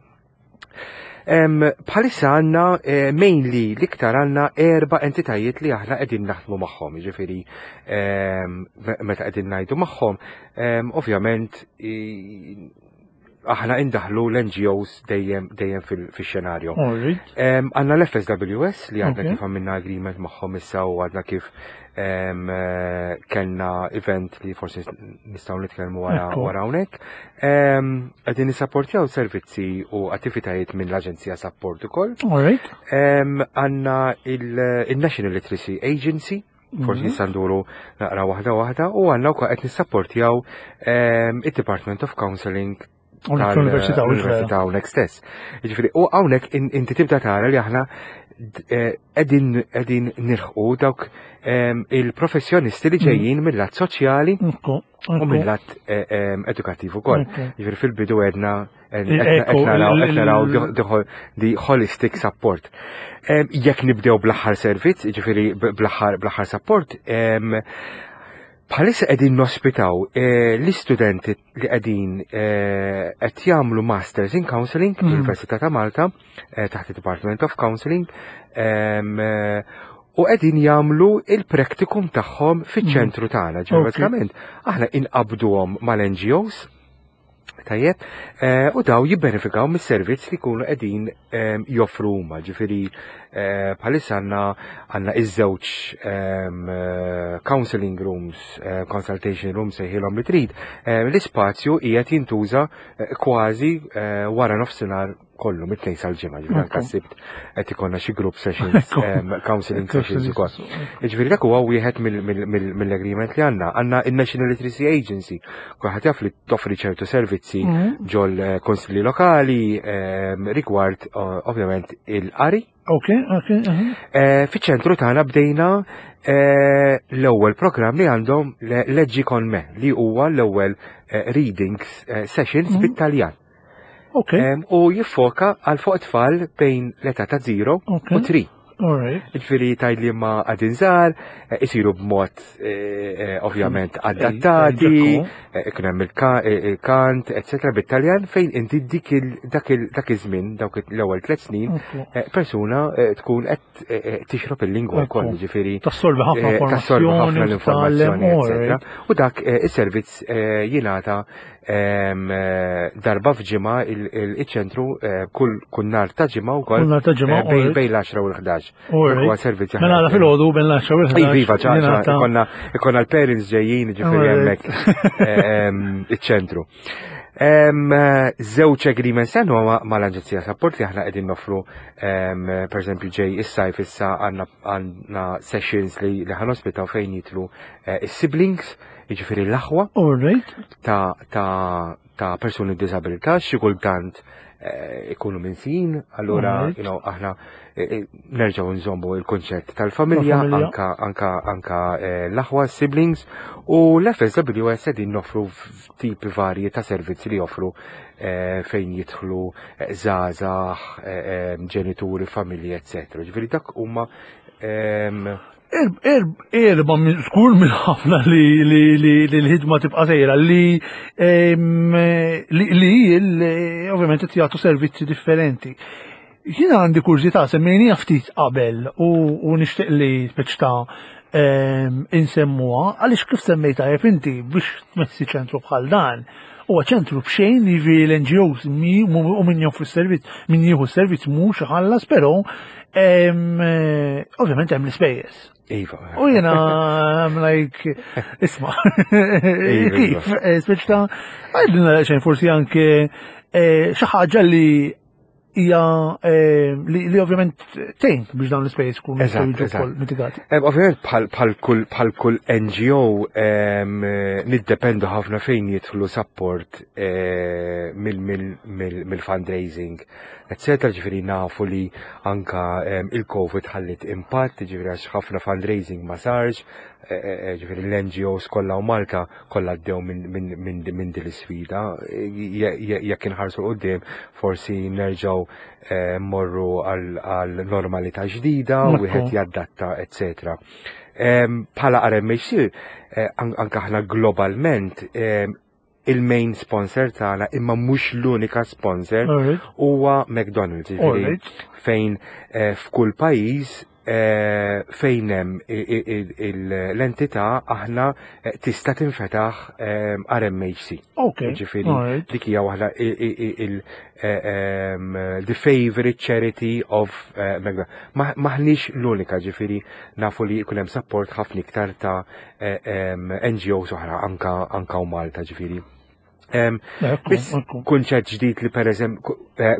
Em, Bħalissa għandna eh, mainly l-iktar għandna erba entitajiet li aħna qegħdin naħdmu magħhom, jiġifieri em, me- meta qegħdin ngħidu magħhom, em, ovvjament i- aħna indaħlu l-N G Os dejjem dejjem fil- fix-xenarju. Alright. Em, Għandna l-F S W S li għadna Ok. kif għamilna agreement magħhom issa u għadna kif em, eh, kellna event li forsi nistgħu nitkellmu wara Ekku. wara hawnhekk. Em, Qegħdin nisapportjaw servizzi u attivitajiet minn l-Aġenzija Support ukoll. Alright. Em, Għandna il- il-National Literacy Agency, forsi Mhm. nista' nduru naqra waħda waħda, u għandna wkoll qed nissapportjaw em, id-Department of Counseling Hawnhekk fl-Università, u tal-Università hawnhekk stess. Jiġifieri, u hawnhekk in- inti tibda tara li aħna d- eh, qegħdin qegħdin nilħqu dawk em, il-professjonisti li ġejjin mill-lat soċjali Ekku. u mill-lat eh, em, edukattiv ukoll. Ekku. Jiġifieri fil-bidu għedna Il-eku, qed naraw il- qed naraw il- the- the ho- the holistic support. Em, Jekk nibdew bl-aħħar servizz, jiġifieri b- bl-aħħar bl-aħħar support, em, bħalissa qegħdin nospitaw eh, l-istudenti li qegħdin eh, qed jagħmlu Masters in Counseling Mm. fl-Università ta' Malta eh, taħt il-Department of Counseling em, eh, u qegħdin jagħmlu il-practicum tagħhom fiċ-ċentru tagħna. Ġifieri Ok. bażikament aħna inqabduhom mal-N G Os. Tajjeb, eh, u daw jibbenefikaw mis-servizz li jkunu qegħdin em, joffru huma. Ġifieri eh, bħalissa għandna għandna iż-żewġ em, eh, counseling rooms, eh, consultation rooms, sejħilhom li trid. Eh, L-ispazju qiegħed jintuża eh, kważi eh, wara nofsinhar kollu mit-Tnejn sal-Ġimgħa, ġifieri anke Ekku. s-Sibt qed ikollna xi group sessions, Ekku. em, counseling sessions ukoll. Ġifieri dak huwa wieħed mill- mill- mill- mill-agreement li għandna. Għandna il-National Literacy Agency, kulħadd jaf li toffri ċertu servizzi Mhm. ġol eh, konsilli lokali em, rigward eh, ovvjament il-qari. Ok, ok. mhm. Eh, Fiċ-ċentru tagħna bdejna eh, l-ewwel programm li għandhom le- Leggi con me, li huwa l-ewwel eh, reading eh, sessions Mhm. bit-Taljan. Ok, Em, U jiffoka għal fuq tfal bejn l-età ta' zero Ok. u tlieta. alright. Ġifieri tgħid li ma għadin żgħar, eh, isiru b'mod eh, eh, ovvjament adattati, Ekku. eh, ikun hemm il-ka- eh, il-kant, eccetera, bit-Taljan, fejn inti dik il- dak il- dak iż-żmien, dawk l-ewwel tliet snin, Ekku. eh, persuna eh, tkun qed eh, eh, tixrob il-lingwa Ekku. wkoll, ġifieri Tassorbi ħafna eh, tassorbi ħafna informazzjoni, l-informazzjoni, titgħallem, eccetera. alright. U dak eh, is-servizz eh, jingħata em, eh, darba f'ġimgħa il- il- iċ-ċentru eh, kull kull nhar ta' ġimgħa wkoll Kull nhar ta' ġimgħa, eh, bejn alright. bejn l-għaxra u l-ħdax. Dak Alright. huwa servizz li Mela aħna- għala filgħodu bejn l-għaxra u l-ħdax. Iva, iva, ċa, ċa, jingħata- ikonna, ikonna l-parents ġejjin, ġifieri Alright. hemmhekk em, iċ-ċentru. Em, Żewġ agreements għandna ma- mal-Aġenzija Support li aħna qegħdin noffru em, per eżempju ġej is-sajf, issa għandna għandna sessions li li ħa nospitaw fejn jidħlu eh, is-siblings, jiġifieri l-aħwa Alright. ta' ta' ta' persuni b'disabilità, xi kultant eh, ikunu minsijin, allura Alright. you know, aħna eh, eh, nerġgħu nżommu il-konċett tal-familja, Tal-familja. anka anka anka eh, l-aħwa, siblings, u l-F S W S qegħdin noffru tipi varji ta' servizzi li joffru eh, fejn jidħlu eh, żgħażagħ, eh, eh, ġenituri, familji, eccetera. Ġifieri dak huma em, Erba minn skur minn ħafna li li li li l-ħidma tibqa' sejra li em, li li l- ovvjament qed jagħtu servizzi differenti. Jiena għandi kurżità, semmejnija ftit qabel u, u nixtieq li speċ ta' em, insemmuha għaliex kif semmejta tajjeb inti, biex tmessi ċentru bħal dan huwa ċentru b'xejn, jiġifieri l-N G Os mi- u min joffri s-servizz, min jieħu s-servizz mhux iħallas, però em, eh, ovvjament hemm l-ispejjeż. Iva. U jena, I'm like, isma, Iva, kif, eh, speċ ta' għajdilna xejn forsi anke eh, xi ħaġa li hija eh, li li ovvjament tgħin biex dawn l-ispejjeż kunu Eżatt, jistgħu jiġu eżatt. wkoll mitigati. Em, Ovvjament bħal bħal kull bħal kull N G O em, eh, niddependu ħafna fejn jidħlu support eh, mill- mill- mill- mill-fundraising, eccetera. Ġifieri nafu li anka em, il-Covid ħallit impatt, ġifieri għax ħafna fundraising ma sarx, eh, eh, ġifieri l-N G Os kollha u Malta kollha għaddew minn min, min, min din l-isfida. Eh, je- je- Jekk inħarsu 'l quddiem forsi nerġgħu eh, morru għal għal normalità ġdida, Ekku. wieħed jaddatta, eccetera. Em, Bħala R M H C, eh, an- anka aħna globalment em, Il-main sponsor tagħna, imma mhux l-unika sponsor, Alright. huwa McDonald's, jiġifieri Alright. fejn eh, f'kull pajjiż eh, fejn hemm i- i- i- il- l-entità aħna eh, tista' tinfetaħ eh, R M H C. Ok. Ġifieri, Alright. dik hija waħda i- i- i- il eh, em, the favorite charity of eh, McDonald's. Ma- Maħniex l-unika, ġifieri nafu li jkun hemm support ħafna iktar ta' eh, em, N G Os oħra anka anka u Malta, ġifieri. Em, Ekku, Biss ekku. kunċett ġdid li per eżempju,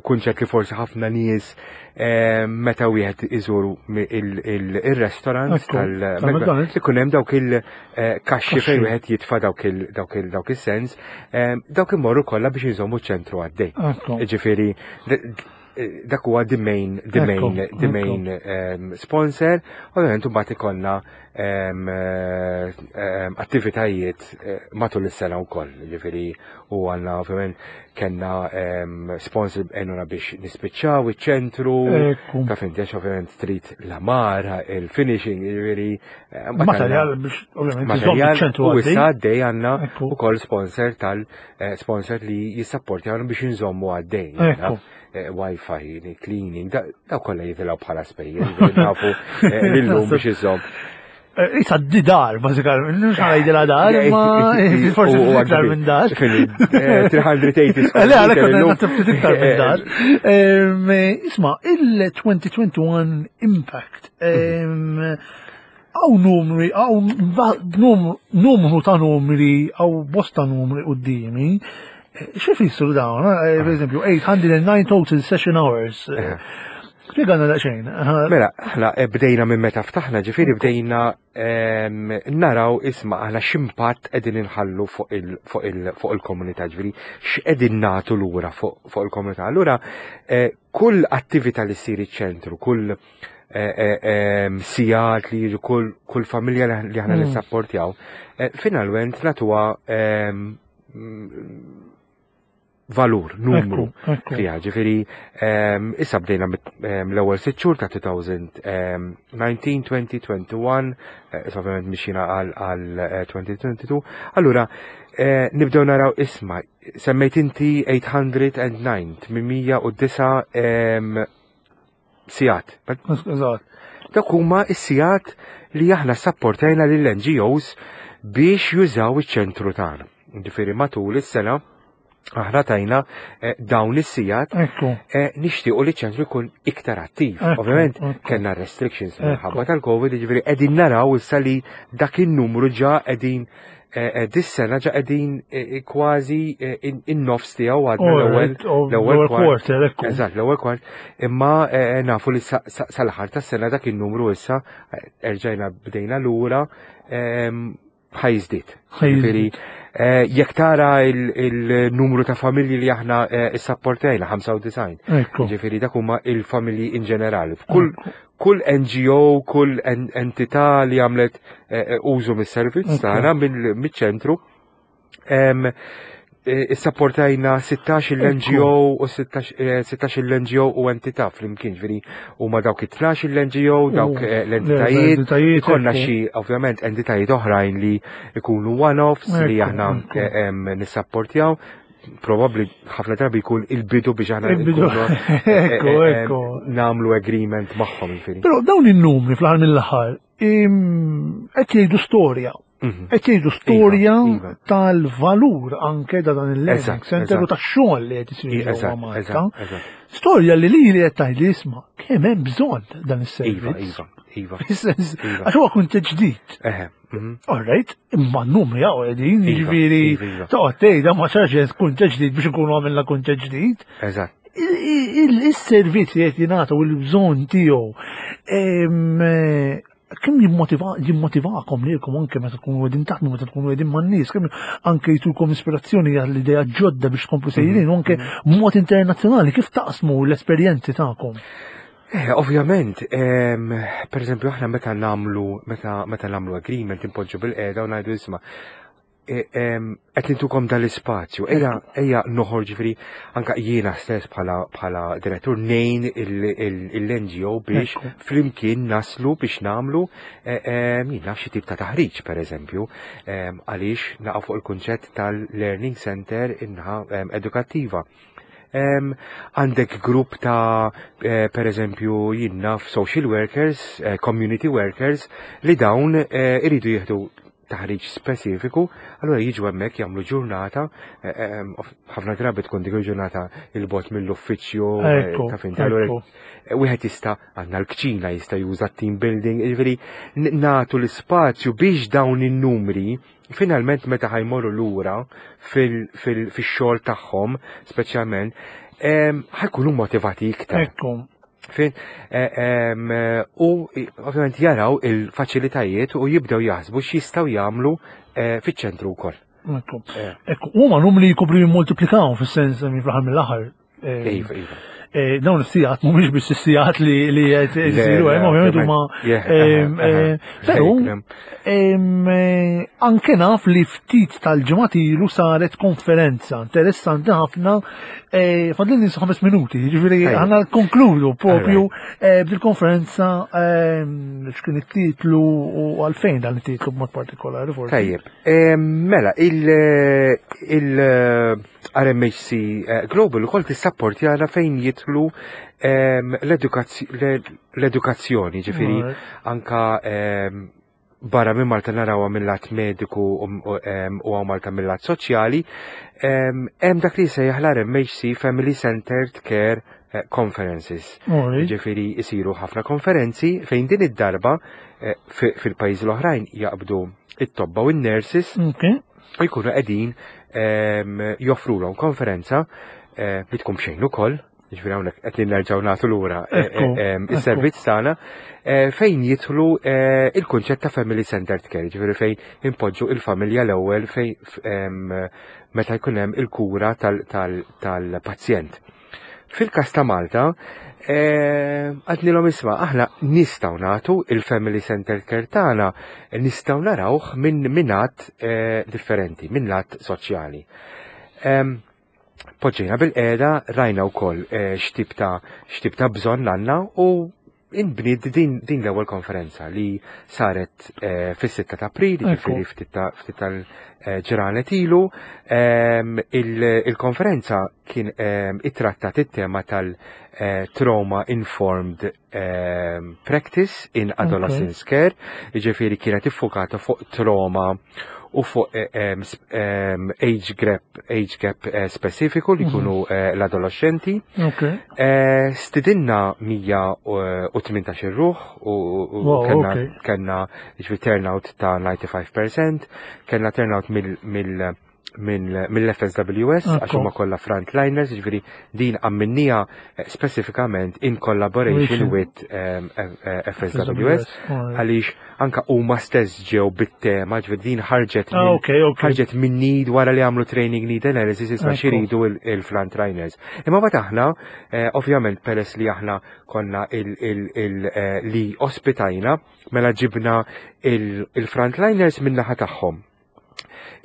kunċett li forsi ħafna nies eh, meta wieħed iżuru mi- il- il- il-restaurant Ekku, tal-McDonald's tal-McDonald's. ikun hemm dawk il-kaxxi fejn Kaxxi. wieħed jitfa' dawk il- dawk il- dawk is-sens, eh, dawk imorru kollha biex iżommu ċentru għaddej. Ekku. Ġifieri, d- d- dak huwa the main, the Ekku, main, the main um, sponsor. Ovvjament mbagħad ikollna um, um, attivitajiet eh, matul is-sena wkoll. Ġifieri u għandna ovvjament kellna um, sponsor għenuna biex nispiċċaw iċ-ċentru. Ekku. Taf inti, għax ovvjament trid l-għamara, il-finishing, ġifieri. eh, mbagħad Materjal għandna- biex ovvjament iżomm materjal iċ-ċentru u għaddej. issa għaddej għandna Ekku. ukoll sponsor tal eh, sponsor li jissapportjawna biex nżommu għaddej. Ekku. Eh, Wi-Fi, cleaning, da daw kollha jitilgħu bħala spejjeż, ġifieri nafu eh, lillum biex iżomm. Eh, Issa di dar, bażikament, mhux ħa ngħidilha dar, imma forsi U- u iktar għaddi- minn dar. Fini, eh, tliet mija u tmenin square Le, għalek meter illum. naħseb ftit iktar minn dar. Em, Isma, il-elfejn u wieħed u għoxrin Impact. em, Hawn numri, hawn numru numru ta' numri, hawn bosta numri qudiemi. X'ifissru dawn? Eh, Per eżempju, eight hundred nine total session hours. Spjegana daqsxejn. Mela, aħna eh, bdejna minn meta ftaħna, ġifieri bdejna em, naraw, isma', aħna x'impatt qegħdin inħallu fuq il- fuq il- fuq il-komunità, ġifieri x'qegħdin nagħtu lura fuq fuq il-komunità. Allura, eh, kull attività li ssir iċ-ċentru, kull eh, eh, em, sigħat li jiġu, kull kull familja li li aħna Mm. nissapportjaw, eh, finalment nagħtuha em, mm, valur, numru Ekku, ekku. fiha. Ġifieri, em, issa bdejna mit- em, l-ewwel sitt xhur ta' elfejn u dsatax, għoxrin, wieħed u għoxrin, eh, issa ovvjament mixina għal għal eh, elfejn u tnejn u għoxrin. Allura, eh, nibdew naraw, isma', semmejt inti tmien mija u disgħa, tmien mija u disgħa em, sigħat. Eżatt. Dak huma s-sigħat li aħna sapportajna lill-N G Os biex jużaw iċ-ċentru tagħna. Ġifieri matul is-sena aħna tajna eh, dawn is-sigħat. Ekku. eh, nixtiequ li ċ-ċentru jkun iktar attiv. Ekku, Ovvjament ekku. kellna restrictions Ekku. minħabba tal-Covid, ġifieri qegħdin naraw issa li dak in-numru ġa qegħdin eh, eh, dis-sena ġa qegħdin eh, kważi eh, in- in-nofs tiegħu, għadna l-ewwel Alright, oh, l-ewwel l-ewwel kwart. quarter, ekku. Eżatt, l-ewwel kwart. Imma eh, nafu li sa- sa- sal-aħħar tas-sena dak in-numru issa eh, erġajna bdejna lura ehm, ħa jiżdied. Ħa jiżdied. Ġifieri, eh, jekk tara il- il-numru ta' familji li aħna eh, issapportajna, ħamsa u disgħin. Ekku. Ġifieri dak huma il-familji in ġenerali. Kull kull N G O, kull en- entità li għamlet eh, eh, użu mis-servizz Ekku. tagħna mill- miċ-ċentru. Em, eh, Issapportajna sittax il-N G O u sittax eh, sittax il-N G O u entità flimkien, ġifieri huma dawk it-tnax il-N G O, dawk U eh, l-entitajiet. l-entitajiet, Ikollna ekku. xi ovvjament entitajiet oħrajn li ikunu one-offs li Ekku, aħna ekku. eh, em, nissapportjaw. Probabli ħafna drabi jkun il-bidu biex aħna Il-bidu. nkunu, eh, Ekku, eh, eh, ekku. nagħmlu agreement magħhom, ġifieri. Però dawn in-numri fl-aħħar mill-aħħar im, qed jgħidu storja. Mhm. Qed jgħidu storja Iva, iva. tal-valur anke da dan il-learning Eżatt, center u eżatt. tax-xogħol li qed isir ġewwa Eżatt, Malta. eżatt, eżatt. Storja li li li qed tgħidli, isma', kemm hemm bżonn dan Iva, is-servizz. iva, iva. Fis-sens, Iva. għax huwa kunċett ġdid. Eħe, mhm. Alright, imma n-numri hawn qegħdin, Iva, jiġifieri iva, iva. toqgħod tgħidha ma sarx kunċett ġdid biex ikunu għamilna kunċett ġdid. Eżatt. Il-servizz li qed jingħata u l-bżonn tiegħu em, eh, kemm jimmotiva jimmotivakom lilkom anke meta tkunu qegħdin taħdmu, meta tkunu qegħdin man-nies, kemm anke jtukom ispirazzjoni għall idea ġodda biex tkomplu sejrin u anke b'mod internazzjonali kif taqsmu l-esperjenzi tagħkom? Eh, ovvjament, em, per eżempju, aħna meta nagħmlu, meta, meta nagħmlu agreement, impoġġu bilqiegħda u ngħidu, isma', Qed nintukom dal-ispazju, ejja ejja noħorġ, ġifieri anka jiena stess bħala bħala direttur ngħin l-N G O biex flimkien naslu biex nagħmlu jien naf xi tip ta' taħriġ, pereżempju, għaliex naqgħu fuq il-kunċett tal-learning center inħa edukattiva. Għandek grupp ta' eh, per eżempju, jien naf, social workers, eh, community workers, li dawn eh, iridu jieħdu taħriġ speċifiku, allura jiġu hemmhekk jagħmlu ġurnata, ħafna drabi tkun dik il-ġurnata 'il bogħod mill-uffiċċju, ta' fin, allura wieħed jista', għandna l-kċina, jista' juża team building, jiġifieri nagħtu l-ispazju biex dawn in-numri finalment meta ħa jmorru lura fil-xogħol tagħhom, speċjalment, ħa jkunu motivati iktar. Ekku. Fin, e, u ovvjament jaraw il-faċilitajiet u jibdew jaħsbu x'jistgħu jagħmlu e, fiċ-ċentru wkoll. Ekku. E. Ekku, huma numri jkopru jimmultiplikaw fis-sens minn fl-aħħar mill-aħħar. Iva, iva. Dawn is-sigħat mhumiex biss is-sigħat li li qed isiru hemm, ovvjament huma, però anke naf li ftit tal-ġimgħat ilu saret konferenza interessanti ħafna. Fadlilni ħames minuti, jiġifieri ħana konkludu propju bil-konferenza, x'kien it-titlu u għalfejn dan it-titlu b'mod partikolari forsi. Tajjeb, mela, il-R M H C Global ukoll tissapportjana fejn jidħlu l-edukazzjoni, ġifieri anka barra minn Malta narawha mill-lat mediku u hawn Malta mill-lat soċjali, hemm dak li jsejjaħ l-R M H C Family Centered Care eh, Conferences. Ġifieri isiru ħafna konferenzi fejn din id-darba eh, fil-pajjiżi l-oħrajn jaqbdu it-tobba u n-nurses u jkunu qegħdin joffrulhom konferenza eh, li tkun b'xejn ukoll, ġifieri hawnhekk qed nerġgħu nagħtu lura eh, Ekku, eh, is-servizz tagħna eh, fejn jidħlu eh, il-kunċett ta' family centered care, ġifieri fejn impoġġu il-familja l-ewwel fejn em, meta jkun hemm il-kura tal-pazjent. Fil-kas ta' Malta, eh, għednielhom, isma', aħna nistgħu nagħtu il-family centered care tagħna, nistgħu narawh minn minn lat eh, differenti, minn lat soċjali. Em, Poġġejna bilqiegħda, rajna wkoll eh, x'tip ta' x'tip ta' bżonn għandna u inbniet din, din l-ewwel konferenza li saret eh, fis-sitta ta' April, Ekku. jiġifieri ftit ta' ftit tal-ġranet ilu. Em, il- Il-konferenza kien em, ittrattat it-tema tal-trauma informed em, practice in adolescence care, jiġifieri kienet iffokata fuq trauma u fuq eh, em, sp- em, age gap, age gap eh, specifiku li jkunu eh, l-adolescenti. Ok. Eh, Stidinna mija u tmintax ruħ u u- Wow, kellna okay. kellna ġifieri turnout ta' disgħa u disgħin fil-mija, kellna turnout mill mill mill- mill-F S W S għax Ekku. huma kollha frontliners, ġifieri din għamilnieha eh, speċifikament in collaboration Mission. with um, F S W S Alright. għaliex anka huma stess ġew bit-tema, ġifieri din ħarġet Ah, minn- ok, ok. ħarġet minn need wara li għamlu training need analysis, isma' Ekku. xiridu il-frontliners. Imma mbagħad aħna, eh, ovvjament peress li aħna konna il, il, il, eh, li ospitajna, mela ġibna il-frontliners min naħa tagħhom.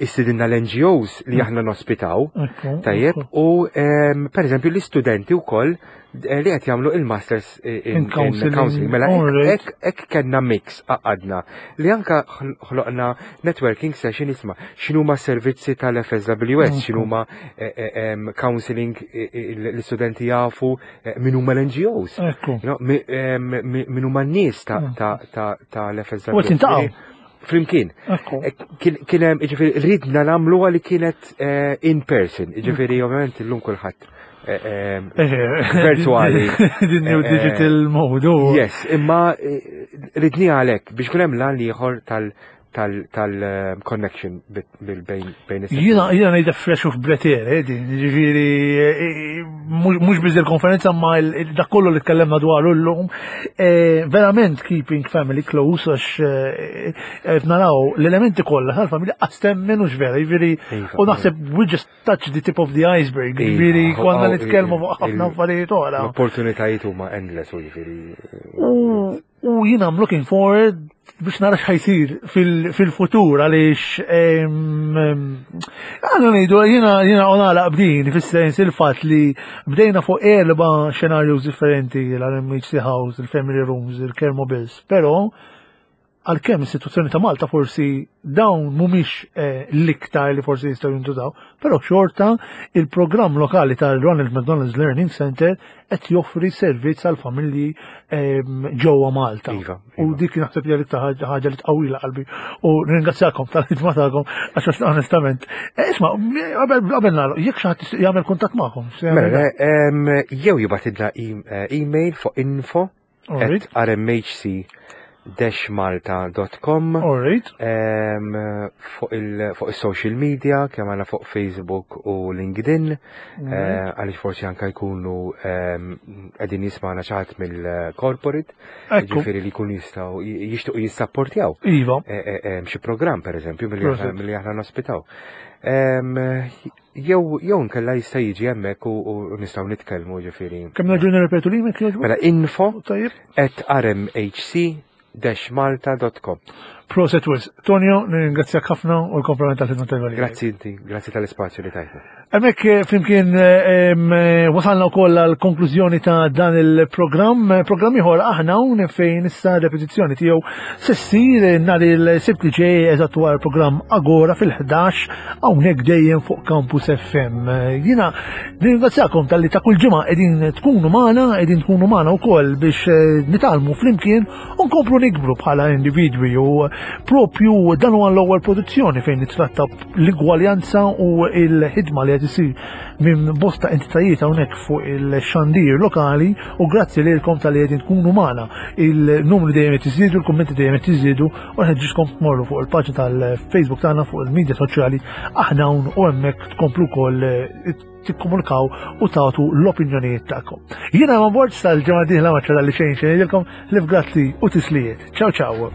Istidinna l-N G Os li aħna nospitaw, Ekku, tajjeb, ekku. u em, per eżempju l-istudenti wkoll eh, li qed jagħmlu il-masters in, In counseling. Counseling. Mela hekk- Alright. hekk hekk kellna mix għaqadna li anka ħl- ħloqna networking session, isma', x'inhuma servizzi tal-F S W S, Mhm. x'inhuma eh, eh, em, counseling, eh, eh, l-istudenti jafu eh, min huma l-N G Os. Ekku. You know, mi- em, mi- min huma n-nies ta' Mm. ta' ta' tal-F S W S. U qed jiltaqgħu. Flimkien. Ekku. Eh, Kien kien hemm, jiġifieri ridna nagħmluha li kienet eh, in person, jiġifieri ovvjament illum kulħadd eh, eh, virtuali. Din new Eh, eh, digital mode. u- Yes, imma eh, ridni għalhekk biex kun hemm lan ieħor tal tal tal eh, connection bil bejn bejn is- Jiena jiena ngħidha fresh of breath air, eh, din, ġifieri eh, mhux mhux biż il-konferenza ma il- il- dak kollu li tkellemna dwaru llum, eh, verament keeping family close, għax eh, eh, naraw l-elementi kollha tal-familja qas temmen hux vera, ġifieri Iva, u naħseb we just touch the tip of the iceberg, Iva, ġifieri konna oh, nitkellmu il- fuq ħafna il- affarijiet oħra. L-opportunitajiet huma endless u jiġifieri. U U jiena I'm looking forward biex nara x'ħa jsir fil-futur għaliex għandu ngħidu jiena jiena nagħlaq b'din fis-sens il-fatt li bdejna fuq erba' scenarios differenti l-RMHC House, il-Family Rooms, il-Care Mobiles, però għalkemm is-sitwazzjoni ta' Malta forsi dawn mhumiex eh, l-iktar li forsi jistgħu jintużaw, però xorta il-programm lokali tal-Ronald McDonald's Learning Center qed joffri servizz għal familji ehm, ġewwa Malta. Iva, U iva. dik naħseb li l-iktar ħaġa ħaġa li tqawwila qalbi u ringrazzjakom tal-ħidma tagħkom għax onestament. Eh, Isma' qabel qabel nagħlaq, jekk xi ħadd jagħmel kuntatt magħkom. se jagħmel Mela, em, jew jibgħatilna e- eh, email fuq info Alright. at rmhc-malta.com Alright. em, fuq il- fuq il-social media, kemm għandna fuq Facebook u LinkedIn, eh, għaliex forsi anka jkunu em, qegħdin jismagħna xi ħadd mill-corporate, Ekku. ġifieri li jkunu jistgħu jixtiequ jissapportjaw Iva. eh, eh, em, xi programm pereżempju milli aħna Prosit. milli aħna nospitaw. Em, Jew jew nkella jista' jiġi hemmhekk u u nistgħu nitkellmu ġifieri. Kemm nerġgħu nirrepetu l-email jogħġbok? Mela info Tajjeb. at rmhc-malta.com. Prosit wisq. Tonio, nirringrazzjak ħafna u l-kompliment tal-ħidma tajba li. Grazzi inti, grazzi tal-ispazju li tajtna. Hemmhekk eh, flimkien eh, em, eh, wasalna wkoll għal konklużjoni ta' dan il-programm. Programm ieħor aħna hawn fejn issa repetizzjoni tiegħu se ssir nhar il-Sibt li ġej eżatt wara l-programm Agora fil-ħdax hawnhekk dejjem fuq Campus FM. Eh, Jiena nirringrazzjakom talli ta' kull ġimgħa qegħdin tkunu magħna, qegħdin tkunu magħna wkoll biex eh, nitgħallmu flimkien u nkomplu nikbru bħala individwi u propju dan huwa l-ewwel produzzjoni fejn nitratta l-igwaljanza u l-ħidma li qed isir minn bosta entitajiet hawnhekk fuq il-xandir lokali u grazzi lilkom talli qegħdin tkunu magħna. Il-numri dejjem qed iżidu, il-kummenti dejjem qed iżidu u nħeġġiġkom tmorru fuq il-paġna tal-Facebook tagħna fuq il-medja soċjali aħna hawn u hemmhekk tkomplu wkoll eh, tikkomunikaw u tagħtu l-opinjonijiet tagħkom. Jiena ma bord sal-ġimgħa dieħla ma ċara li xejn xejn ngħidilkom li grazzi u tislijiet. Ciao ciao.